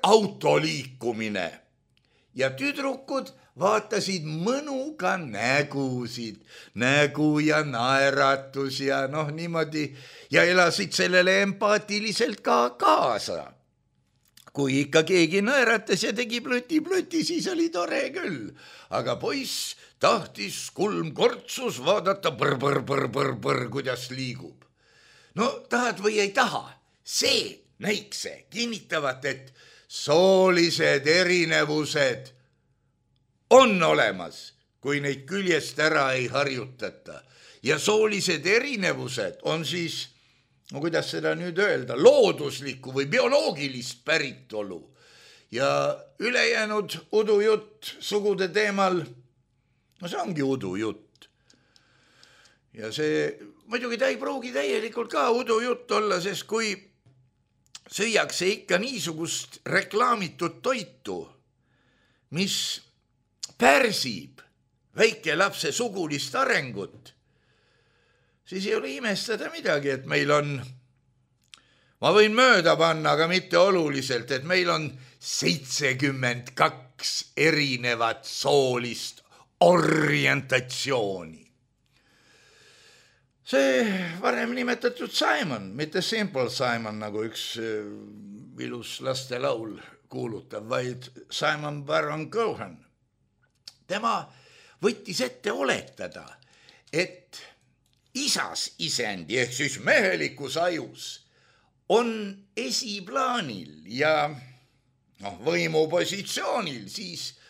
auto liikumine ja tüdrukud vaatasid mõnuga nägu ja naeratus ja niimoodi ja elasid sellele empaatiliselt ka kaasa. Kui ikka keegi naeratas ja tegi plöti, siis oli tore küll, aga poiss tahtis kulmkortsus vaadata põr, kuidas liigub. No tahad või ei taha, see näikse kinnitavat, et soolised erinevused on olemas, kui neid küljest ära ei harjutata. Ja soolised erinevused on siis, kuidas seda nüüd öelda, looduslikku või bioloogilist päritolu. Ja ülejäänud udujutt sugude teemal, see ongi udujutt. Ja see, muidugi ta ei pruugi täielikult ka udujutt olla, sest kui süüakse ikka niisugust reklaamitud toitu, mis pärsib väike lapse sugulist arengut, siis ei ole imestada midagi, et meil on, ma võin mööda panna, aga mitte oluliselt, et meil on 72 erinevat soolist orientatsiooni. See varem nimetatud Simon, mitte Simple Simon, nagu üks ilus lastelaul kuulutab, vaid Simon Baron Cohen. Tema võttis ette oletada, et isas isendi ehk siis mehelikus ajus on esiplaanil ja võimupositsioonil siis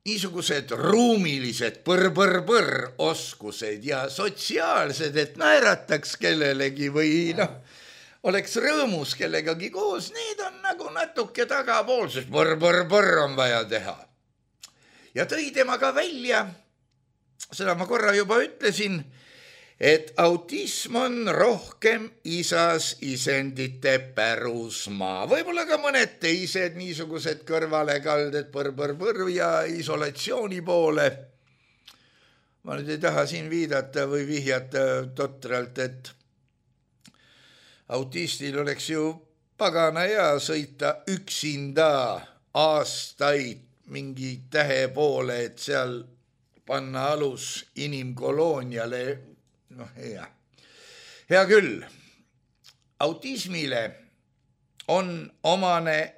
niisugused ruumilised oskused ja sotsiaalsed, et naerataks kellelegi või oleks rõõmus kellegagi koos, need on nagu natuke tagapool, sest põr on vaja teha. Ja tõi tema ka välja, seda ma korra juba ütlesin, et autism on rohkem isas isendite pärusmaa. Võib-olla ka mõned teised niisugused kõrvalekalded põr ja isolatsiooni poole. Ma nüüd ei taha siin viidata või vihjata totralt, et autistil oleks ju pagana hea sõita üksinda aastaid mingi tähe poole, et seal panna alus inimkolooniale. Hea küll, autismile on omane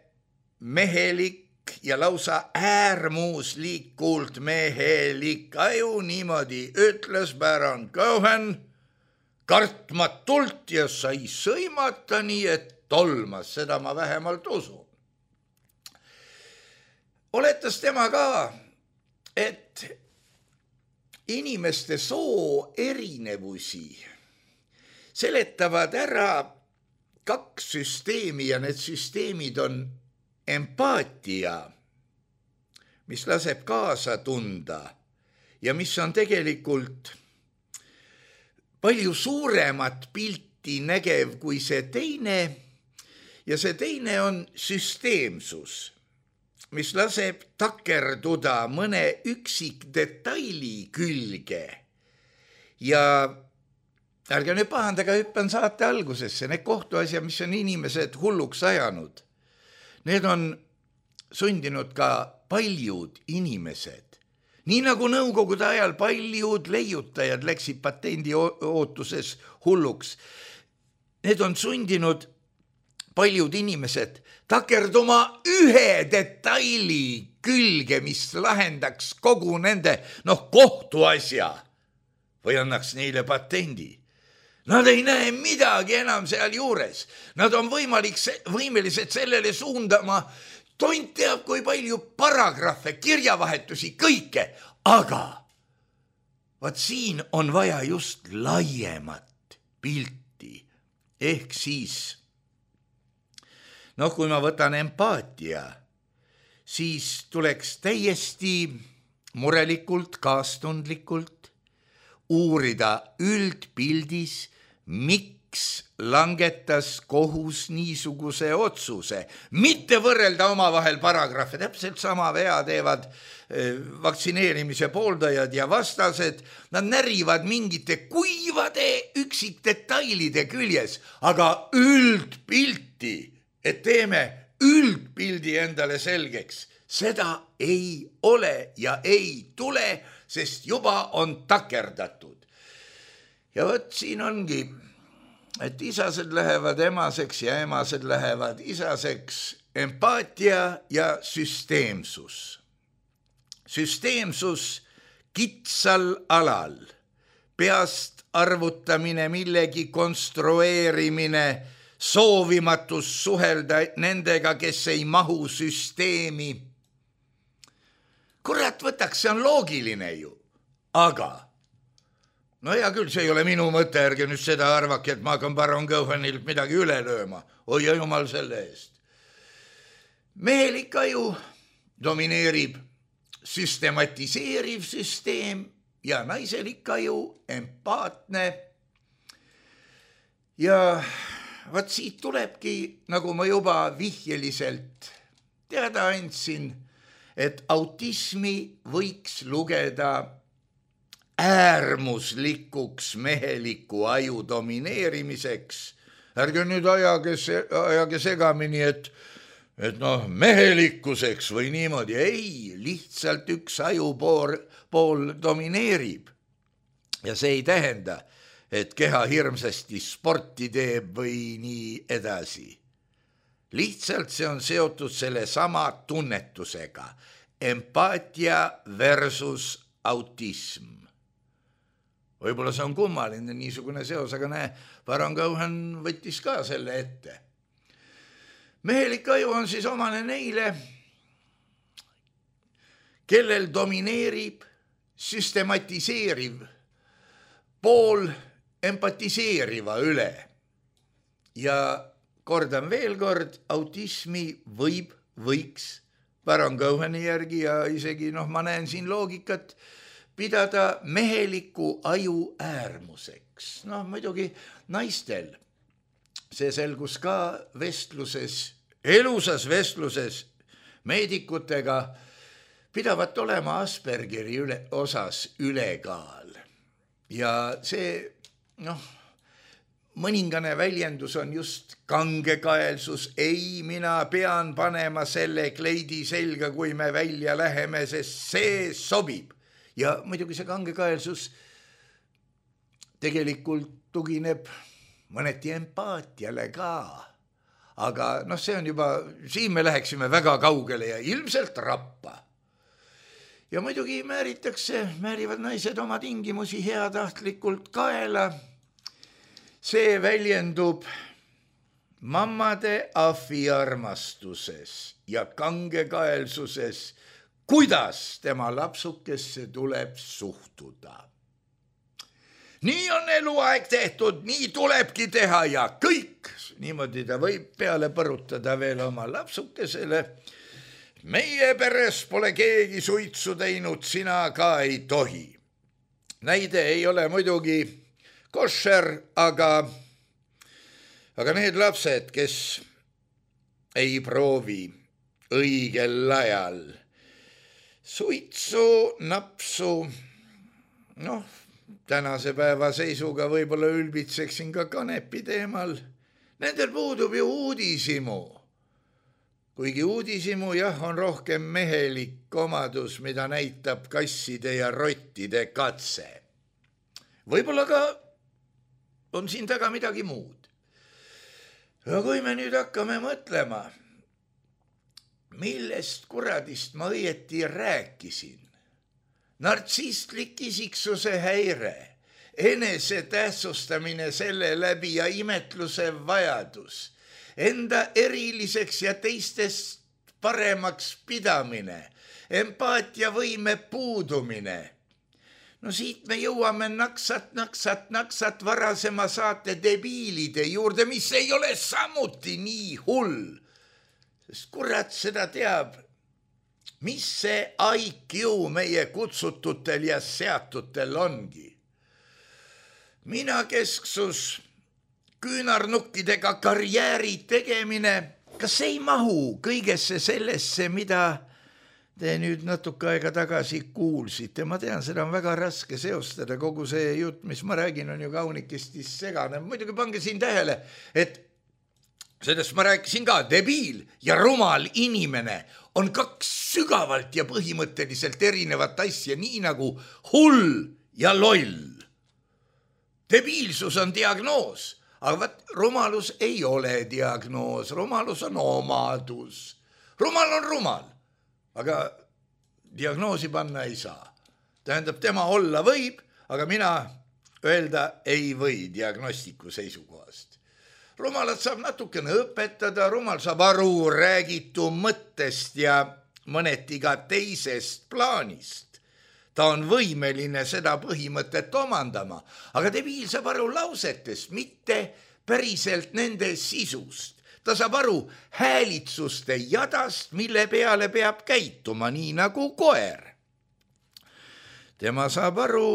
mehelik ja lausa äärmuslikult mehelik aju, niimoodi ütles Baron Cohen kartmatult ja sai sõimata nii, et tolmas, seda ma vähemalt usun. Oletas tema ka, et inimeste soo erinevusi seletavad ära 2 süsteemi ja need süsteemid on empaatia, mis laseb kaasa tunda ja mis on tegelikult palju suuremat pilti nägev kui see teine ja see teine on süsteemsus, mis laseb takerduda mõne üksik detaili külge. Ja ärge nüüd pahandaga, hüppan saate algusesse, need kohtuasjad, mis on inimesed hulluks ajanud, need on sundinud ka paljud inimesed. Nii nagu nõukogude ajal paljud leiutajad läksid patendi ootuses hulluks, need on sundinud paljud inimesed takerduma ühe detaili külge, mis lahendaks kogu nende kohtuasja või annaks neile patendi. Nad ei näe midagi enam seal juures. Nad on võimelised sellele suundama, tont teab kui palju paragrahve, kirjavahetusi, kõike, aga vaat siin on vaja just laiemat pilti, ehk siis kui ma võtan empaatia, siis tuleks täiesti murelikult, kaastundlikult uurida üldpildis, miks miks langetas kohus niisuguse otsuse, mitte võrrelda omavahel paragrahve, täpselt sama vea teevad vaktsineerimise pooldajad ja vastased, nad närivad mingite kuivade üksikdetailide küljes, aga üldpilti, et teeme üldpildi endale selgeks, seda ei ole ja ei tule, sest juba on takerdatud. Ja võt siin ongi, et isased lähevad emaseks ja emased lähevad isaseks, empaatia ja süsteemsus. Süsteemsus kitsal alal, peast arvutamine, millegi konstrueerimine, soovimatus suhelda nendega, kes ei mahu süsteemi. Kurat võtaks, see on loogiline ju, aga no hea küll, see ei ole minu mõte, ärge nüüd seda arvake, et ma hakkan baron Cohenilt midagi üle lööma. Oi ja jumal selle eest. Mehelik aju domineerib süstematiseeriv süsteem ja naiselik aju empaatne. Ja vaat siit tulebki, nagu ma juba vihjeliselt teada andsin, et autismi võiks lugeda äärmuslikuks meheliku aju domineerimiseks. Ärge nüüd ajage segamini, et mehelikkuseks või niimoodi. Ei, lihtsalt üks ajupool domineerib. Ja see ei tähenda, et keha hirmsasti sporti teeb või nii edasi. Lihtsalt see on seotud selle sama tunnetusega. Empaatia versus autism. Võib-olla see on kummaline niisugune seos, aga näe, baron Cohen võttis ka selle ette. Mehelik aju on siis omane neile, kellel domineerib süstematiseeriv pool empatiseeriva üle. Ja kordan veel kord, autismi võiks baron Coheni järgi ja isegi ma näen siin loogikat, pidada meheliku aju äärmuseks. Muidugi naistel, see selgus ka vestluses, elusas vestluses meedikutega, pidavat olema Aspergeri osas ülekaal. Ja see, mõningane väljendus on just kangekaelsus. Ei, mina pean panema selle kleidi selga, kui me välja läheme, sest see sobib. Ja muidugi see kangekaelsus tegelikult tugineb mõneti empaatiale ka. Aga see on juba, siin me läheksime väga kaugele ja ilmselt rappa. Ja muidugi määrivad naised oma tingimusi heatahtlikult kaela. See väljendub mammade ahviarmastuses ja kangekaelsuses, kuidas tema lapsukesse tuleb suhtuda. Nii on eluaeg tehtud, nii tulebki teha ja kõik. Niimoodi ta võib peale põrutada veel oma lapsukesele. Meie peres pole keegi suitsu teinud, sina ka ei tohi. Näide ei ole muidugi košer, aga need lapsed, kes ei proovi õigel ajal suitsu, napsu, tänase päeva seisuga võib-olla ülbitseksin ka kanepi teemal. Nendel puudub ju uudishimu. Kuigi uudishimu on rohkem mehelik omadus, mida näitab kasside ja rottide katse. Võib-olla ka on siin taga midagi muud. Ja kui me nüüd hakkame mõtlema, millest kuradist ma õieti rääkisin? Nartsistlik isiksuse häire, enesetähtsustamine selle läbi ja imetluse vajadus, enda eriliseks ja teistest paremaks pidamine, empaatiavõime puudumine. Siit me jõuame naksat varasema saate debiilide juurde, mis ei ole samuti nii hull. Sest kurat seda teab, mis see IQ meie kutsututel ja seatutel ongi. Minakesksus, küünarnukkidega karjääri tegemine, kas ei mahu kõigesse sellesse, mida te nüüd natuke aega tagasi kuulsite? Ma tean, seda on väga raske seostada, kogu see jutt, mis ma räägin, on ju kaunikesti segane. Muidugi pange siin tähele, et sellest ma rääkisin ka, debiil ja rumal inimene on kaks sügavalt ja põhimõtteliselt erinevat asja, nii nagu hull ja loll. Debiilsus on diagnoos, aga rumalus ei ole diagnoos, rumalus on omadus. Rumal on rumal, aga diagnoosi panna ei saa. Tähendab, tema olla võib, aga mina öelda ei või diagnostiku seisukohast. Rumalat saab natukene õpetada, rumal saab aru räägitu mõttest ja mõneti ka teisest plaanist. Ta on võimeline seda põhimõtet omandama, aga debiil saab aru lausetest, mitte päriselt nende sisust. Ta saab aru häälitsuste jadast, mille peale peab käituma, nii nagu koer. Tema saab aru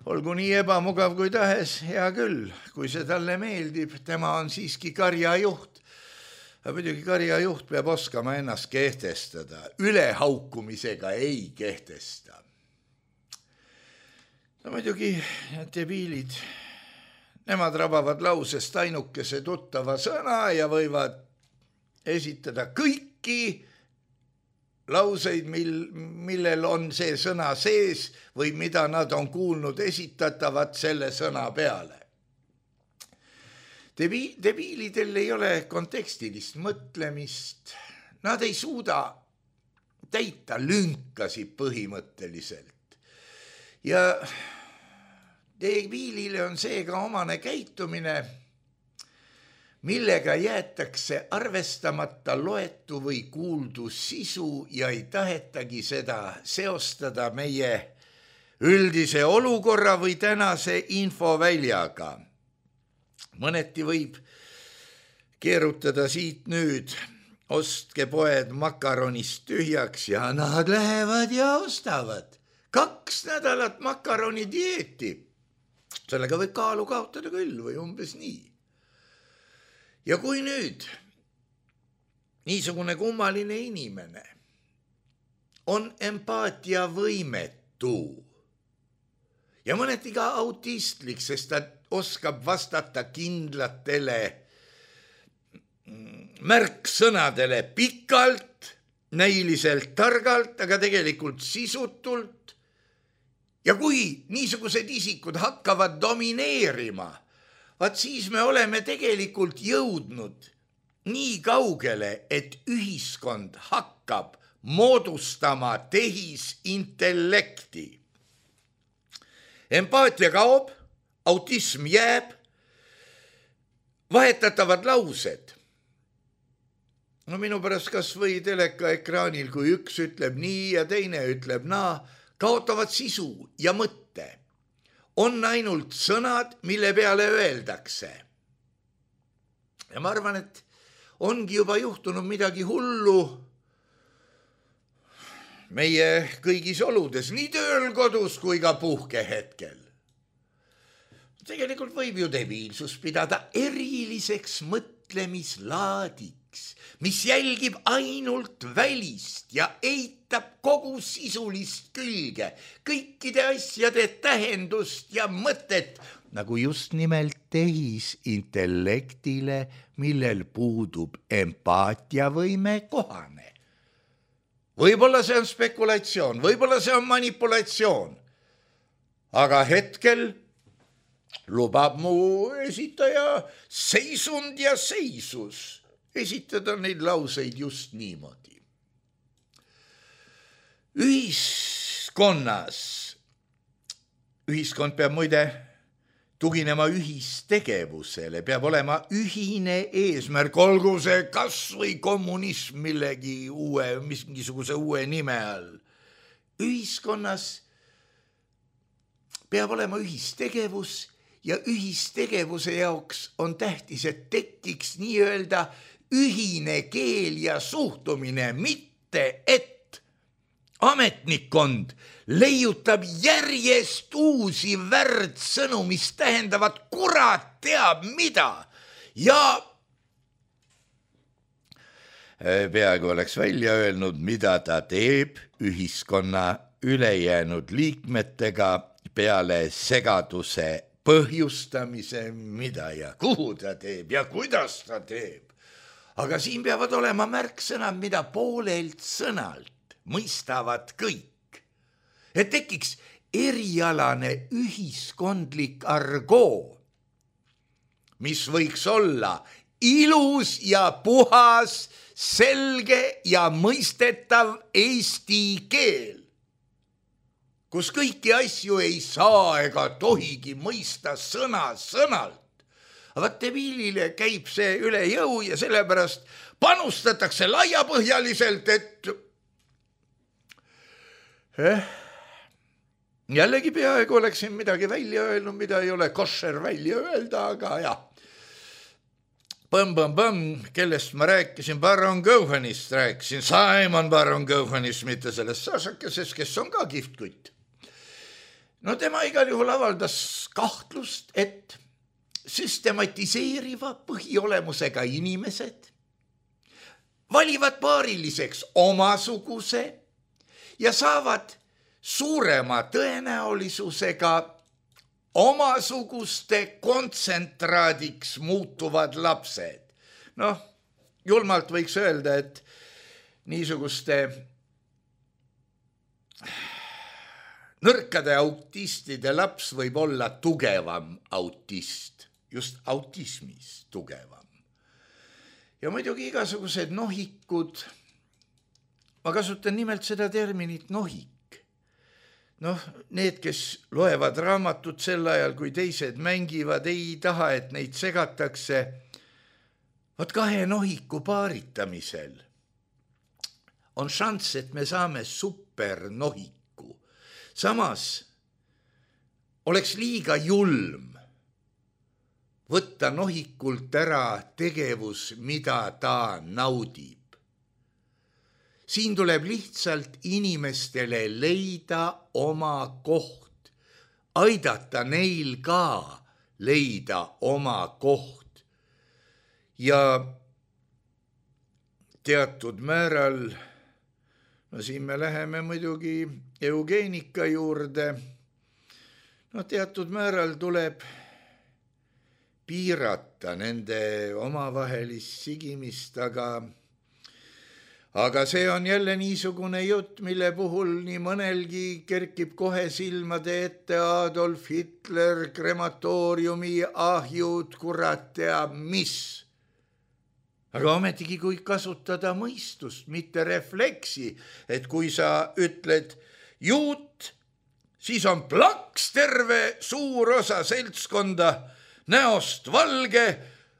olgu nii ebamugav kui tahes, hea küll, kui see talle meeldib, tema on siiski karjajuht. Aga muidugi karjajuht peab oskama ennast kehtestada, ülehaukumisega ei kehtesta. No muidugi debiilid, nemad rabavad lausest ainukese tuttava sõna ja võivad esitada kõiki lauseid, millel on see sõna sees või mida nad on kuulnud esitatavat selle sõna peale. Debiilidel ei ole kontekstilist mõtlemist, nad ei suuda täita lünkasi põhimõtteliselt. Ja debiilile on seega omane käitumine, millega jäetakse arvestamata loetu või kuuldu sisu ja ei tahetagi seda seostada meie üldise olukorra või tänase infoväljaga. Mõneti võib keerutada siit nüüd, ostke poed makaronist tühjaks ja nad lähevad ja ostavad 2 nädalat makaroni dieeti. Sellega võib kaalu kaotada küll või umbes nii. Ja kui nüüd niisugune kummaline inimene on empaatia võimetu ja mõneti ka autistlik, sest ta oskab vastata kindlatele märksõnadele pikalt, näiliselt targalt, aga tegelikult sisutult. Ja kui niisugused isikud hakkavad domineerima, siis me oleme tegelikult jõudnud nii kaugele, et ühiskond hakkab moodustama tehisintellekti. Empaatia kaob, autism jääb, vahetatavad laused. No minu pärast kas või teleka ekraanil, kui üks ütleb nii ja teine ütleb naa, kaotavad sisu ja mõtte. On ainult sõnad, mille peale öeldakse. Ja ma arvan, et ongi juba juhtunud midagi hullu meie kõigis oludes, nii tööl, kodus kui ka puhkehetkel. Tegelikult võib ju debiilsus pidada eriliseks mõtlemislaadiks, mis jälgib ainult välist ja eitab kogu sisulist külge, kõikide asjade tähendust ja mõtet, nagu just nimelt tehisintellektile, millel puudub empaatiavõime kohane. Võib-olla see on spekulatsioon, võib-olla see on manipulatsioon, aga hetkel lubab mu esitaja seisund ja seisus esitada neid lauseid just niimoodi. Ühiskond peab muide tuginema ühistegevusele, peab olema ühine eesmärk, olgu see kas või kommunism mingisuguse uue nime all. Ühiskonnas peab olema ühistegevus ja ühistegevuse jaoks on tähtis, et tekiks nii-öelda ühine keel ja suhtumine, mitte et ametnikkond leiutab järjest uusi värdsõnu, mis tähendavad kurat teab mida ja peaaegu oleks välja öelnud, mida ta teeb ühiskonna ülejäänud liikmetega peale segaduse põhjustamise, mida ja kuhu ta teeb ja kuidas ta teeb. Aga siin peavad olema märksõnad, mida poolelt sõnalt mõistavad kõik. Et tekiks erialane ühiskondlik argoo, mis võiks olla ilus ja puhas, selge ja mõistetav eesti keel, kus kõiki asju ei saa ega tohigi mõista sõna sõnalt. Vaat debiilile käib see üle jõu ja sellepärast panustatakse laiapõhjaliselt, et jällegi peaaegu oleksin midagi välja öelnud, mida ei ole košer välja öelda, aga jah. Põmm, kellest ma rääkisin, Baron Cohenist rääkisin, Simon Baron Cohenist, mitte sellest Sašakesest, kes on ka kihvtkutt. No tema igal juhul avaldas kahtlust, et süstematiseeriva põhiolemusega inimesed valivad paariliseks omasuguse ja saavad suurema tõenäolisusega omasuguste kontsentraadiks muutuvad lapsed. Noh, julmalt võiks öelda, et niisuguste nõrkade autistide laps võib olla tugevam autist, just autismis tugevam. Ja muidugi igasugused nohikud, ma kasutan nimelt seda terminit nohik. Noh, need, kes loevad raamatut sel ajal, kui teised mängivad, ei taha, et neid segatakse. Vot kahe nohiku paaritamisel on šanss, et me saame supernohiku. Samas oleks liiga julm võtta nohikult ära tegevus, mida ta naudib. Siin tuleb lihtsalt inimestele leida oma koht, aidata neil ka leida oma koht. Ja teatud määral, no siin me läheme muidugi eugeenika juurde, no teatud määral tuleb piirata nende omavahelist sigimist, aga see on jälle niisugune jutt, mille puhul nii mõnelgi kerkib kohe silmade ette Adolf Hitler, krematooriumi ahjud, kurat teab mis. Aga ometigi, kui kasutada mõistust, mitte refleksi, et kui sa ütled juut, siis on plaks terve suur osa seltskonda, näost valge,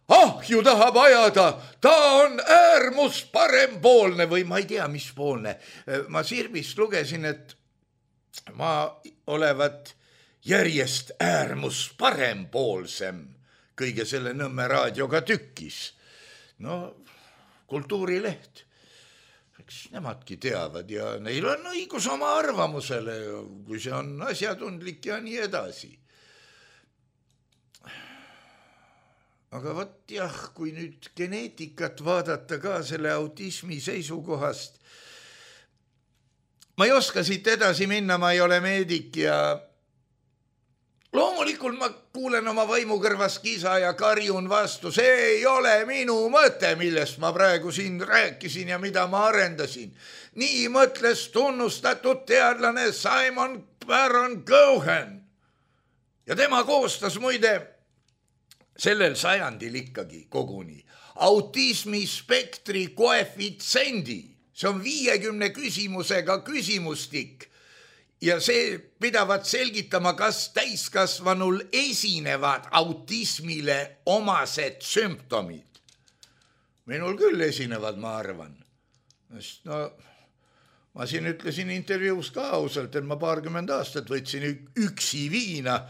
ahju tahab ajada, ta on äärmus parempoolne või ma ei tea, mis poolne. Ma Sirbist lugesin, et ma olevat järjest äärmus parempoolsem kõige selle Nõmme raadioga tükis. No, kultuurileht, eks nemadki teavad ja neil on õigus oma arvamusele, kui see on asjatundlik ja nii edasi. Aga võt jah, kui nüüd geneetikat vaadata ka selle autismi seisukohast, ma ei oska siit edasi minna, ma ei ole meedik ja loomulikult ma kuulen oma vaimukõrvas kisa ja karjun vastu, see ei ole minu mõte, millest ma praegu siin rääkisin ja mida ma arendasin. Nii mõtles tunnustatud teadlane Simon Baron Cohen ja tema koostas muide sellel sajandil ikkagi koguni autismi spektri koefitsiendi. See on 50 küsimusega küsimustik ja see pidavat selgitama, kas täiskasvanul esinevad autismile omased sümptomid. Minul küll esinevad, ma arvan. No, ma siin ütlesin intervjuus ka ausalt, et ma 20 aastat võtsin üksi viina,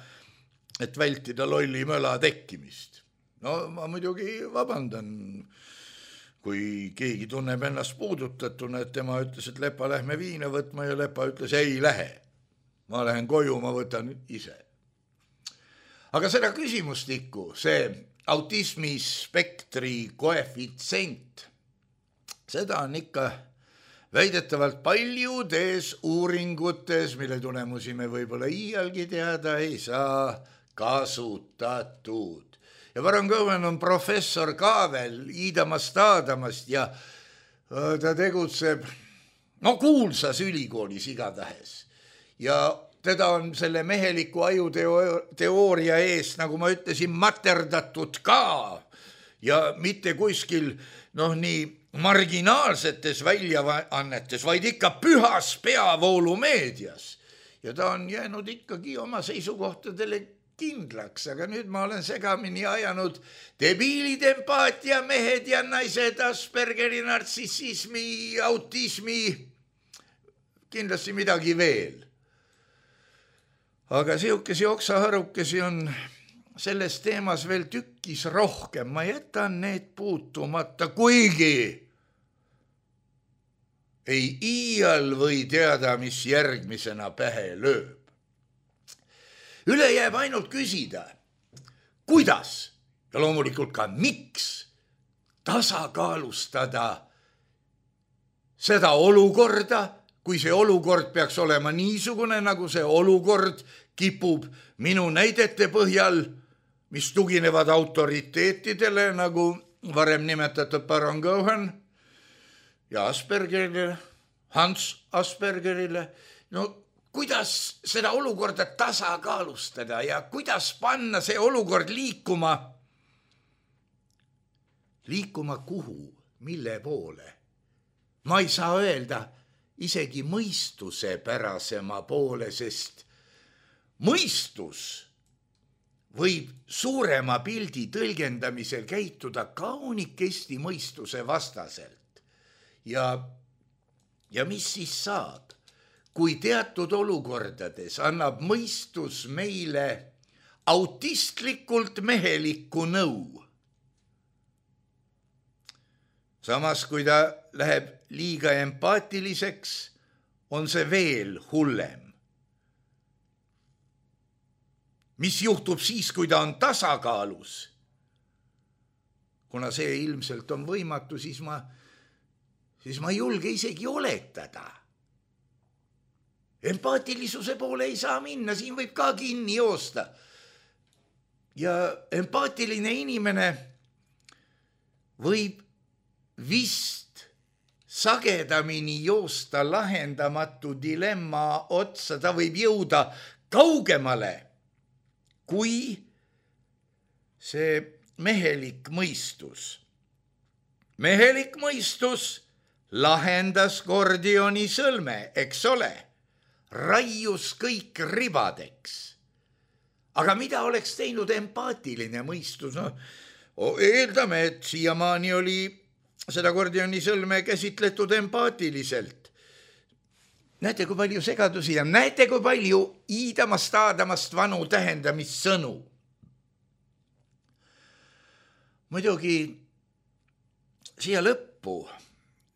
et vältida lolli möla tekkimist. No ma muidugi vabandan, kui keegi tunneb ennast puudutatuna, et tema ütles, et Lepa, lähme viina võtma ja Lepa ütles, ei lähe. Ma lähen koju, ma võtan ise. Aga seda küsimustikku, see autismispektri koefitsient, seda on ikka väidetavalt paljudes uuringutes, mille tulemusi me võib-olla iialgi teada ei saa, kasutatud. Ja Baron Cohen on professor ka veel Iidamast Aadamast ja ta tegutseb kuulsas ülikoolis igatahes. Ja teda on selle meheliku ajuteooria eest, nagu ma ütlesin, materdatud ka ja mitte kuskil nii marginaalsetes väljaannetes, vaid ikka pühas peavoolumeedias. Ja ta on jäänud ikkagi oma seisukohtadele kindlaks, aga nüüd ma olen segamini ajanud debiilid, empaatia, mehed ja naised, Aspergeri, nartsissismi, autismi, kindlasti midagi veel. Aga sihukesi oksaharukesi on selles teemas veel tükkis rohkem, ma jätan need puutumata, kuigi ei iial või teada, mis järgmisena pähe lööb. Üle jääb ainult küsida, kuidas ja loomulikult ka miks tasakaalustada seda olukorda, kui see olukord peaks olema niisugune, nagu see olukord kipub minu näidete põhjal, mis tuginevad autoriteetidele, nagu varem nimetatud Baron Cohen ja Aspergerile, Hans Aspergerile. Kuidas seda olukorda tasakaalustada ja kuidas panna see olukord liikuma kuhu, mille poole? Ma ei saa öelda isegi mõistuse pärasema poole, sest mõistus võib suurema pildi tõlgendamisel käituda kaunikesti mõistuse vastaselt. Ja mis siis saab? Kui teatud olukordades annab mõistus meile autistlikult mehelikku nõu. Samas, kui ta läheb liiga empaatiliseks, on see veel hullem. Mis juhtub siis, kui ta on tasakaalus? Kuna see ilmselt on võimatu, siis ma ei julge isegi oletada. Empaatilisuse poole ei saa minna, siin võib ka kinni joosta. Ja empaatiline inimene võib vist sagedamini joosta lahendamatu dilemma otsa, ta võib jõuda kaugemale kui see mehelik mõistus. Mehelik mõistus lahendas Gordioni sõlme, eks ole? Raius kõik ribadeks. Aga mida oleks teinud empaatiline mõistus? Eeldame, et siiamaani oli seda Gordioni sõlme käsitletud empaatiliselt. Näete, kui palju segadusi ja näete, kui palju Iidamast Aadamast vanu tähendamissõnu. Muidugi siia lõppu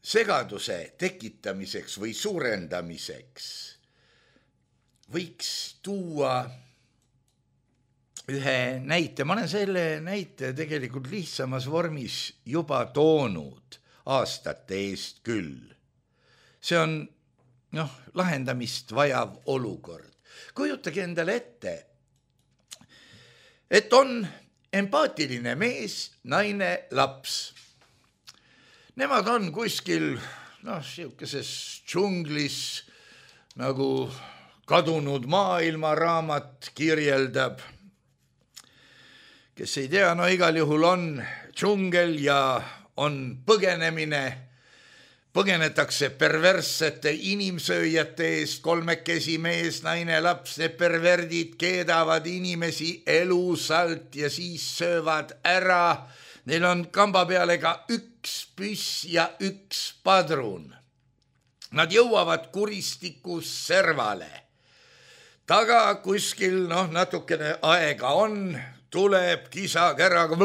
segaduse tekitamiseks või suurendamiseks võiks tuua ühe näite. Ma olen selle näite tegelikult lihtsamas vormis juba toonud aastate eest küll. See on lahendamist vajav olukord. Kujutage endale ette, et on empaatiline mees, naine, laps. Nemad on kuskil siukeses džunglis, nagu kadunud maailmaraamat kirjeldab. Kes ei tea, igal juhul on džungel ja on põgenemine. Põgenetakse perverssete inimsööjate eest, kolmekesi mees, naine, laps, need perverdid keedavad inimesi elusalt ja siis söövad ära. Neil on kamba peale ka üks püss ja üks padrun. Nad jõuavad kuristikus servale. Taga kuskil natukene aega on, tuleb kisa-käraga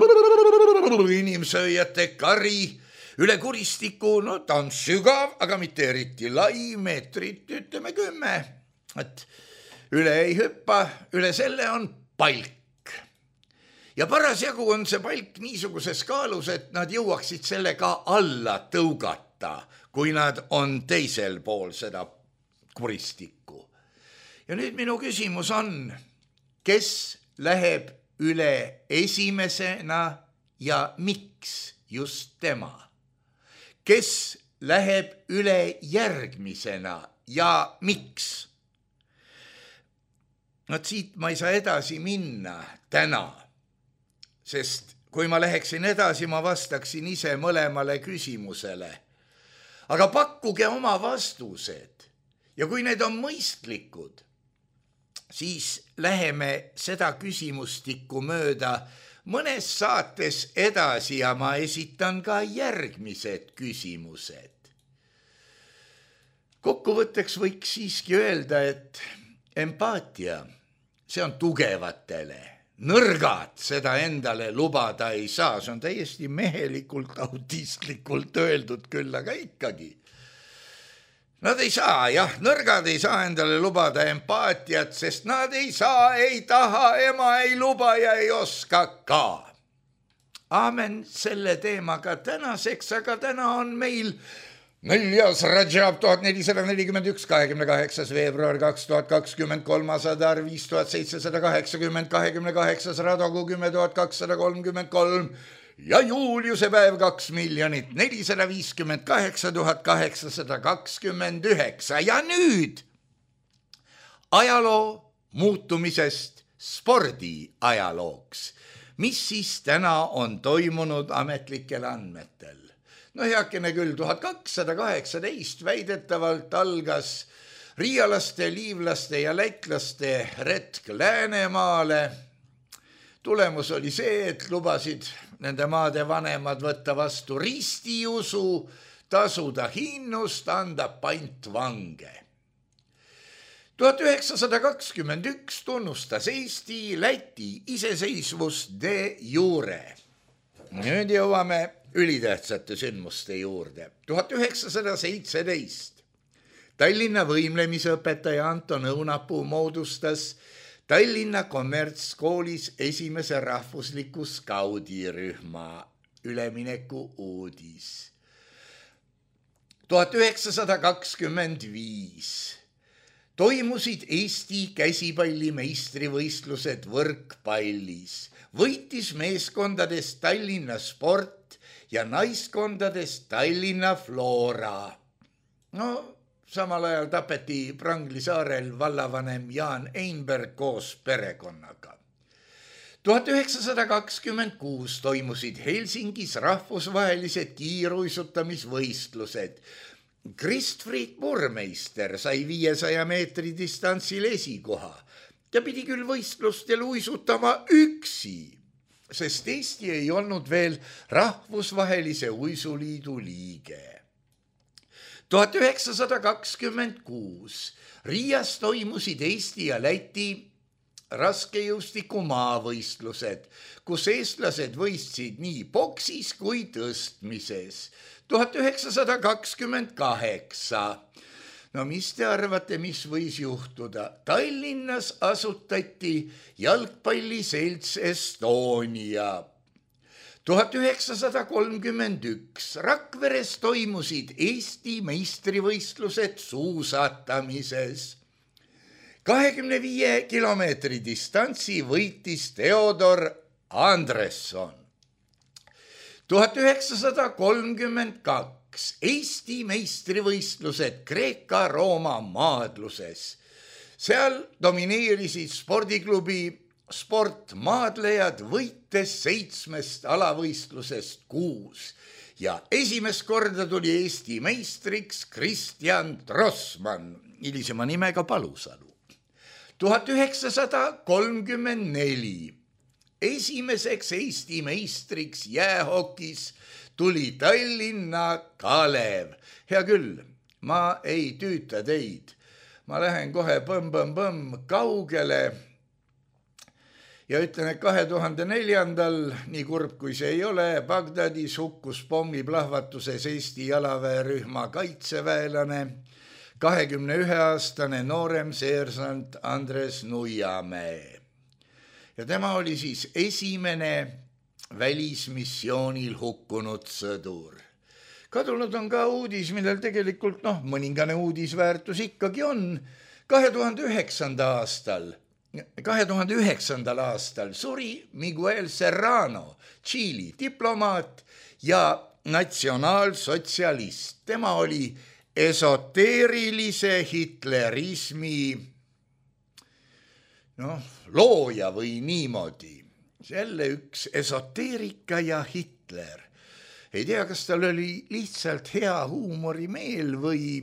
inimsööjate kari, üle kuristiku, no ta on sügav, aga mitte eriti lai, meetrit ütleme 10. Et üle ei hüppa, üle selle on palk. Ja parasjagu on see palk niisuguses kaalus, et nad jõuaksid selle ka alla tõugata, kui nad on teisel pool seda kuristikku. Ja nüüd minu küsimus on, kes läheb üle esimesena ja miks just tema? Kes läheb üle järgmisena ja miks? Siit ma ei saa edasi minna täna, sest kui ma läheksin edasi, ma vastaksin ise mõlemale küsimusele. Aga pakkuge oma vastused ja kui need on mõistlikud, siis läheme seda küsimustikku mööda mõnes saates edasi ja ma esitan ka järgmised küsimused. Kokkuvõtteks võiks siiski öelda, et empaatia, see on tugevatele. Nõrgad seda endale lubada ei saa, see on täiesti mehelikult, autistlikult öeldud küll, aga ikkagi. Nad ei saa, nõrgad ei saa endale lubada empaatiat, sest nad ei saa, ei taha, ema ei luba ja ei oska ka. Aamen selle teemaga tänaseks, aga täna on meil 4. Rajab 1441, 28. veebruar 2023, Adar 5780, 28. Radogu 10233 ja Juuliuse päev 2 458 829. Ja nüüd ajaloo muutumisest spordi ajalooks. Mis siis täna on toimunud ametlikel andmetel? No heakene küll, 1218 väidetavalt algas riialaste, liivlaste ja lätlaste retk Läänemaale. Tulemus oli see, et lubasid nende maade vanemad võtta vastu ristiusu, tasuda hinnust, anda pantvange. 1921 tunnustas Eesti Läti iseseisvust de jure. Nüüd jõuame ülitähtsate sündmuste juurde. 1917 Tallinna võimlemisõpetaja Anton Õunapuu moodustas Tallinna kommertskoolis esimese rahvusliku skaudirühma, ülemineku uudis. 1925 toimusid Eesti käsipalli meistrivõistlused võrkpallis. Võitis meeskondades Tallinna Sport ja naiskondades Tallinna Flora. Samal ajal tapeti Prangli saarel vallavanem Jaan Einberg koos perekonnaga. 1926 toimusid Helsingis rahvusvahelised kiiruisutamisvõistlused. Kristfried Burmeister sai 500 meetri distantsil esikoha. Ta pidi küll võistlustel uisutama üksi, sest Eesti ei olnud veel rahvusvahelise uisuliidu liige. 1926 Riias toimusid Eesti ja Läti raskejõustiku maavõistlused, kus eestlased võistsid nii boksis kui tõstmises. 1928. Mis te arvate, mis võis juhtuda? Tallinnas asutati jalgpalliselts Estonia. 1931 Rakveres toimusid Eesti meistrivõistlused suusatamises. 25 kilomeetri distantsi võitis Theodor Andresson. 1932 Eesti meistrivõistlused Kreeka-Rooma maadluses. Seal domineerisid spordiklubi sportmaadlejad, võites 7 alavõistlusest 6 ja esimest korda tuli Eesti meistriks Kristjan Trossmann, hilisema nimega Palusalu. 1934 esimeseks Eesti meistriks jäähokis tuli Tallinna Kalev. Hea küll, ma ei tüüta teid, ma lähen kohe põmm kaugele ja ütlen, et 2004. nii kurb kui see ei ole, Bagdadis hukkus pommiplahvatuses Eesti jalaväerühma kaitseväelane, 21-aastane noorem seersant Andres Nuiamäe. Ja tema oli siis esimene välismissioonil hukkunud sõdur. Kadunud on ka uudis, millel tegelikult mõningane uudisväärtus ikkagi on. 2009. aastal suri Miguel Serrano, Tšiili diplomaat ja natsionaalsotsialist. Tema oli esoteerilise hitlerismi looja või niimoodi. Jälle üks esoteerika ja Hitler. Ei tea, kas tal oli lihtsalt hea huumorimeel või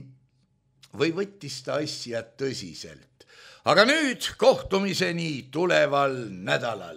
võttis ta asja tõsiselt. Aga nüüd kohtumiseni tuleval nädalal.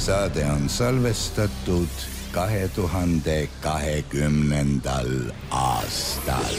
Saade on salvestatud 2020. aastal.